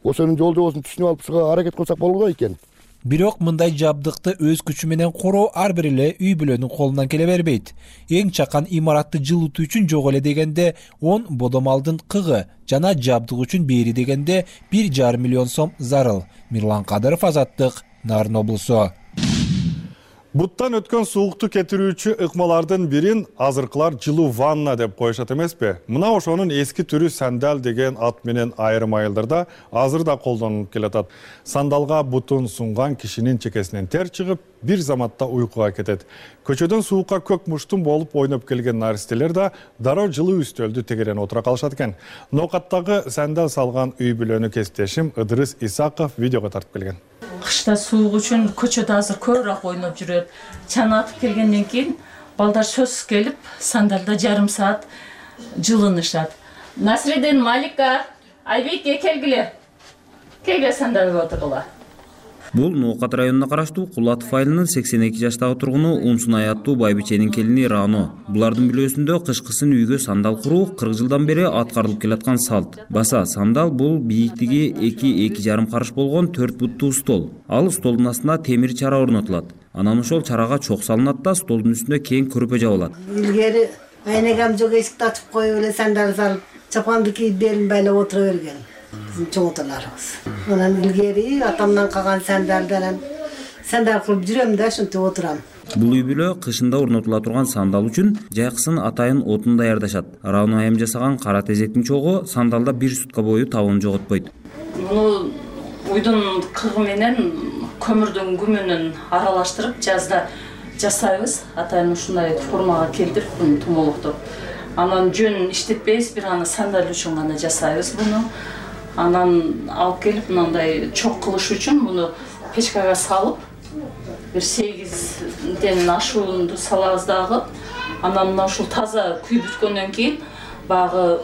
ошонун жол жобосун түшүнүп алып чыга аракет кылсак болот экен. Бирок мындай жабдыкты өз күчү менен короо ар бир эле үй бүлөнүн колунан келе бербейт. Эң чакан имаратты жылытуу үчүн жок эле дегенде он бодомалдын кыгы жана жабдык үчүн бери дегенде бир жарым миллион сом зарыл. Мирлан Кадыров, Азаттык, Нарын облусу. Буттан өткөн суукту кетирүүчү ыкмалардын бирин азыркылар жылуу ванна деп коюшат эмеспи? Мына ошонун эски түрү сандал деген ат менен айрым айылдарда азыр да колдонулуп келатат. Сандалга бутун сунган кишинин чекесинен тер чыгып, бир заматта уйкуга кетет. Көчөдөн суукка көк муштун болуп ойноп келген наристелер да дароо жылуу үстөлдү тегерен отура калышат экен. Ноокаттагы сандал салган үй бүлөнү кесиптешим Ыдырыс Исаков видеого тартып келген. Кышта суук үчүн көчөдө азыр көбүрөөк ойноп жүрөт. Чана атып келгенден кийин балдар сөзсүз келип, сандалда жарым саат жылынышат. Насредин, Малика, Айбекке келгиле. Келгиле сандалга отургула. Бул Ноокат районуна караштуу Кулатов айылынын сексен эки жаштагы тургуну Умсунай аттуу байбиченин келини Рано. Булардын бүлөсүндө кышкысын үйгө сандал куруу кырк жылдан бери аткарылып келаткан салт. Баса сандал бул бийиктиги эки эки жарым карыш болгон төрт буттуу стол. Ал столдун астына темир чара орнотулат. Анан ошол чарага чок салынат да столдун үстүнө кең көрпө жабылат. Илгери айнегам жок эшикти ачып коюп эле сандал салып, чапанды кийип белин байлап отура берген. Биздин чоң аталарыбыз. Анан илгери атамдан калган сандалдан сандал кылып жүрөм да ошентип отурам. Бул үй бүлө кышында орнотула турган сандал үчүн жайкысын атайын отун даярдашат. Рауна айым жасаган кара тезектин чогу сандалда бир сутка бою табын жоготпойт. Муну уйдун кыгы менен көмүрдүн күмүнүн аралаштырып жазда жасайбыз. Атайын ушундай формага келтирип буну тумолуктуп. Анан жөн иштетпейбиз, бир аны сандал үчүн гана жасайбыз буну. Анан алып келип мындай чок кылыш үчүн муну печкага салып, бир сегизден ашуунду салабыз дагы. Анан мына ушул таза күйүп бүткөндөн кийин багы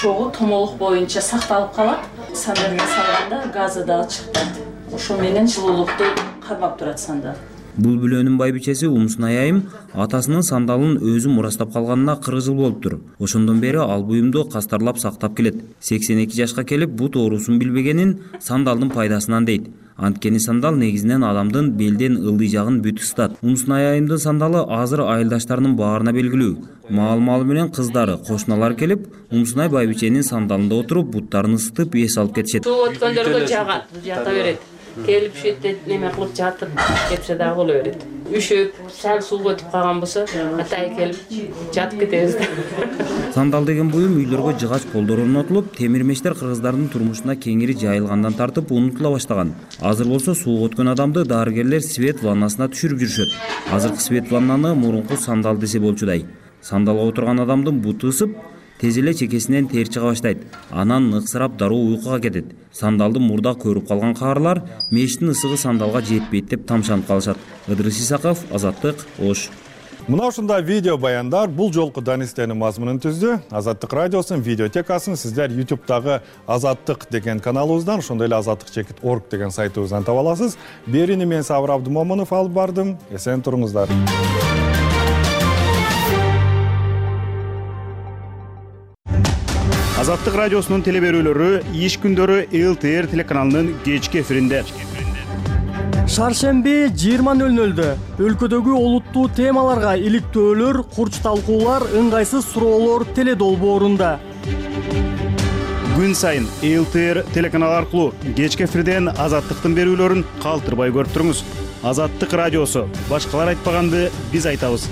чогу томолук боюнча сакталып калат. Сандалга салганда газы дагы чыкпайт. Ошо менен жылуулукту кармап турат сандал. Бул бүлөнүн байбичеси Умсунай айым атасынын сандалын өзү мурастап калганына кырк жыл болуптур. Ошондон бери ал буюмду кастарлап сактап келет. сексен эки жашка келип бут оорусун билбегенин сандалдын пайдасынан дейт. Анткени сандал негизинен адамдын белден ылдый жагын бүт ысытат. Умсунай айымдын сандалы азыр айылдаштарынын баарына белгилүү. Маал-маалы менен кыздары, кошуналар келип, Умсунай байбиченин сандалында отуруп, буттарын ысытып, эс алып кетишет. Суу өткөндөргө жагат, жата берет. Келип шетте неме кылып жатып кетсе дагы боло берет. Үшөп, сал сууга өтүп калган болсо, атай келип жатып кетебиз. Сандал деген буюм үйлөргө жыгач полдор орнотулуп, темир мештер кыргыздардын турмушуна кеңири жайылгандан тартып унутула баштаган. Азыр болсо сууга өткөн адамды дарыгерлер свет ваннасына түшүрүп жүрүшөт. Азыркы свет ваннаны мурунку сандал десе болчудай. Сандалга отурган адамдын буту ысып, тез эле чекесинен тер чыга баштайт. Анан ыксырап дароо уйкуга кетет. Сандалды мурда көрүп калган каарылар мештин ысыгы сандалга жетпейт деп тамшанып калышат. Ыдырыс Исаков, Азаттык, Ош. Мына ушундай видео баяндар бул жолку данистенин мазмунун түздү. Азаттык радиосунун видеотекасын сиздер YouTube'дагы Азаттык деген каналыбыздан, ошондой эле азаттык чекит орг деген сайтыбыздан таба аласыз. Берини мен Сабыр Абдымомунов алып бардым. Эсен туруңуздар. Азаттык радиосунун телеберүүлөрү иш күндөрү эл тэ эр телеканалынын кечки эфиринде. Шаршемби жыйырма нөл нөлдө өлкөдөгү олуттуу темаларга иликтөөлөр, курч талкуулар, ыңгайсыз суроолор теледолбоорунда. Күн сайын эл тэ эр телеканалы аркылуу кечки эфирден Азаттыктын берүүлөрүн калтырбай көрүп туруңуз. Азаттык радиосу башкалар айтпаганды биз айтабыз.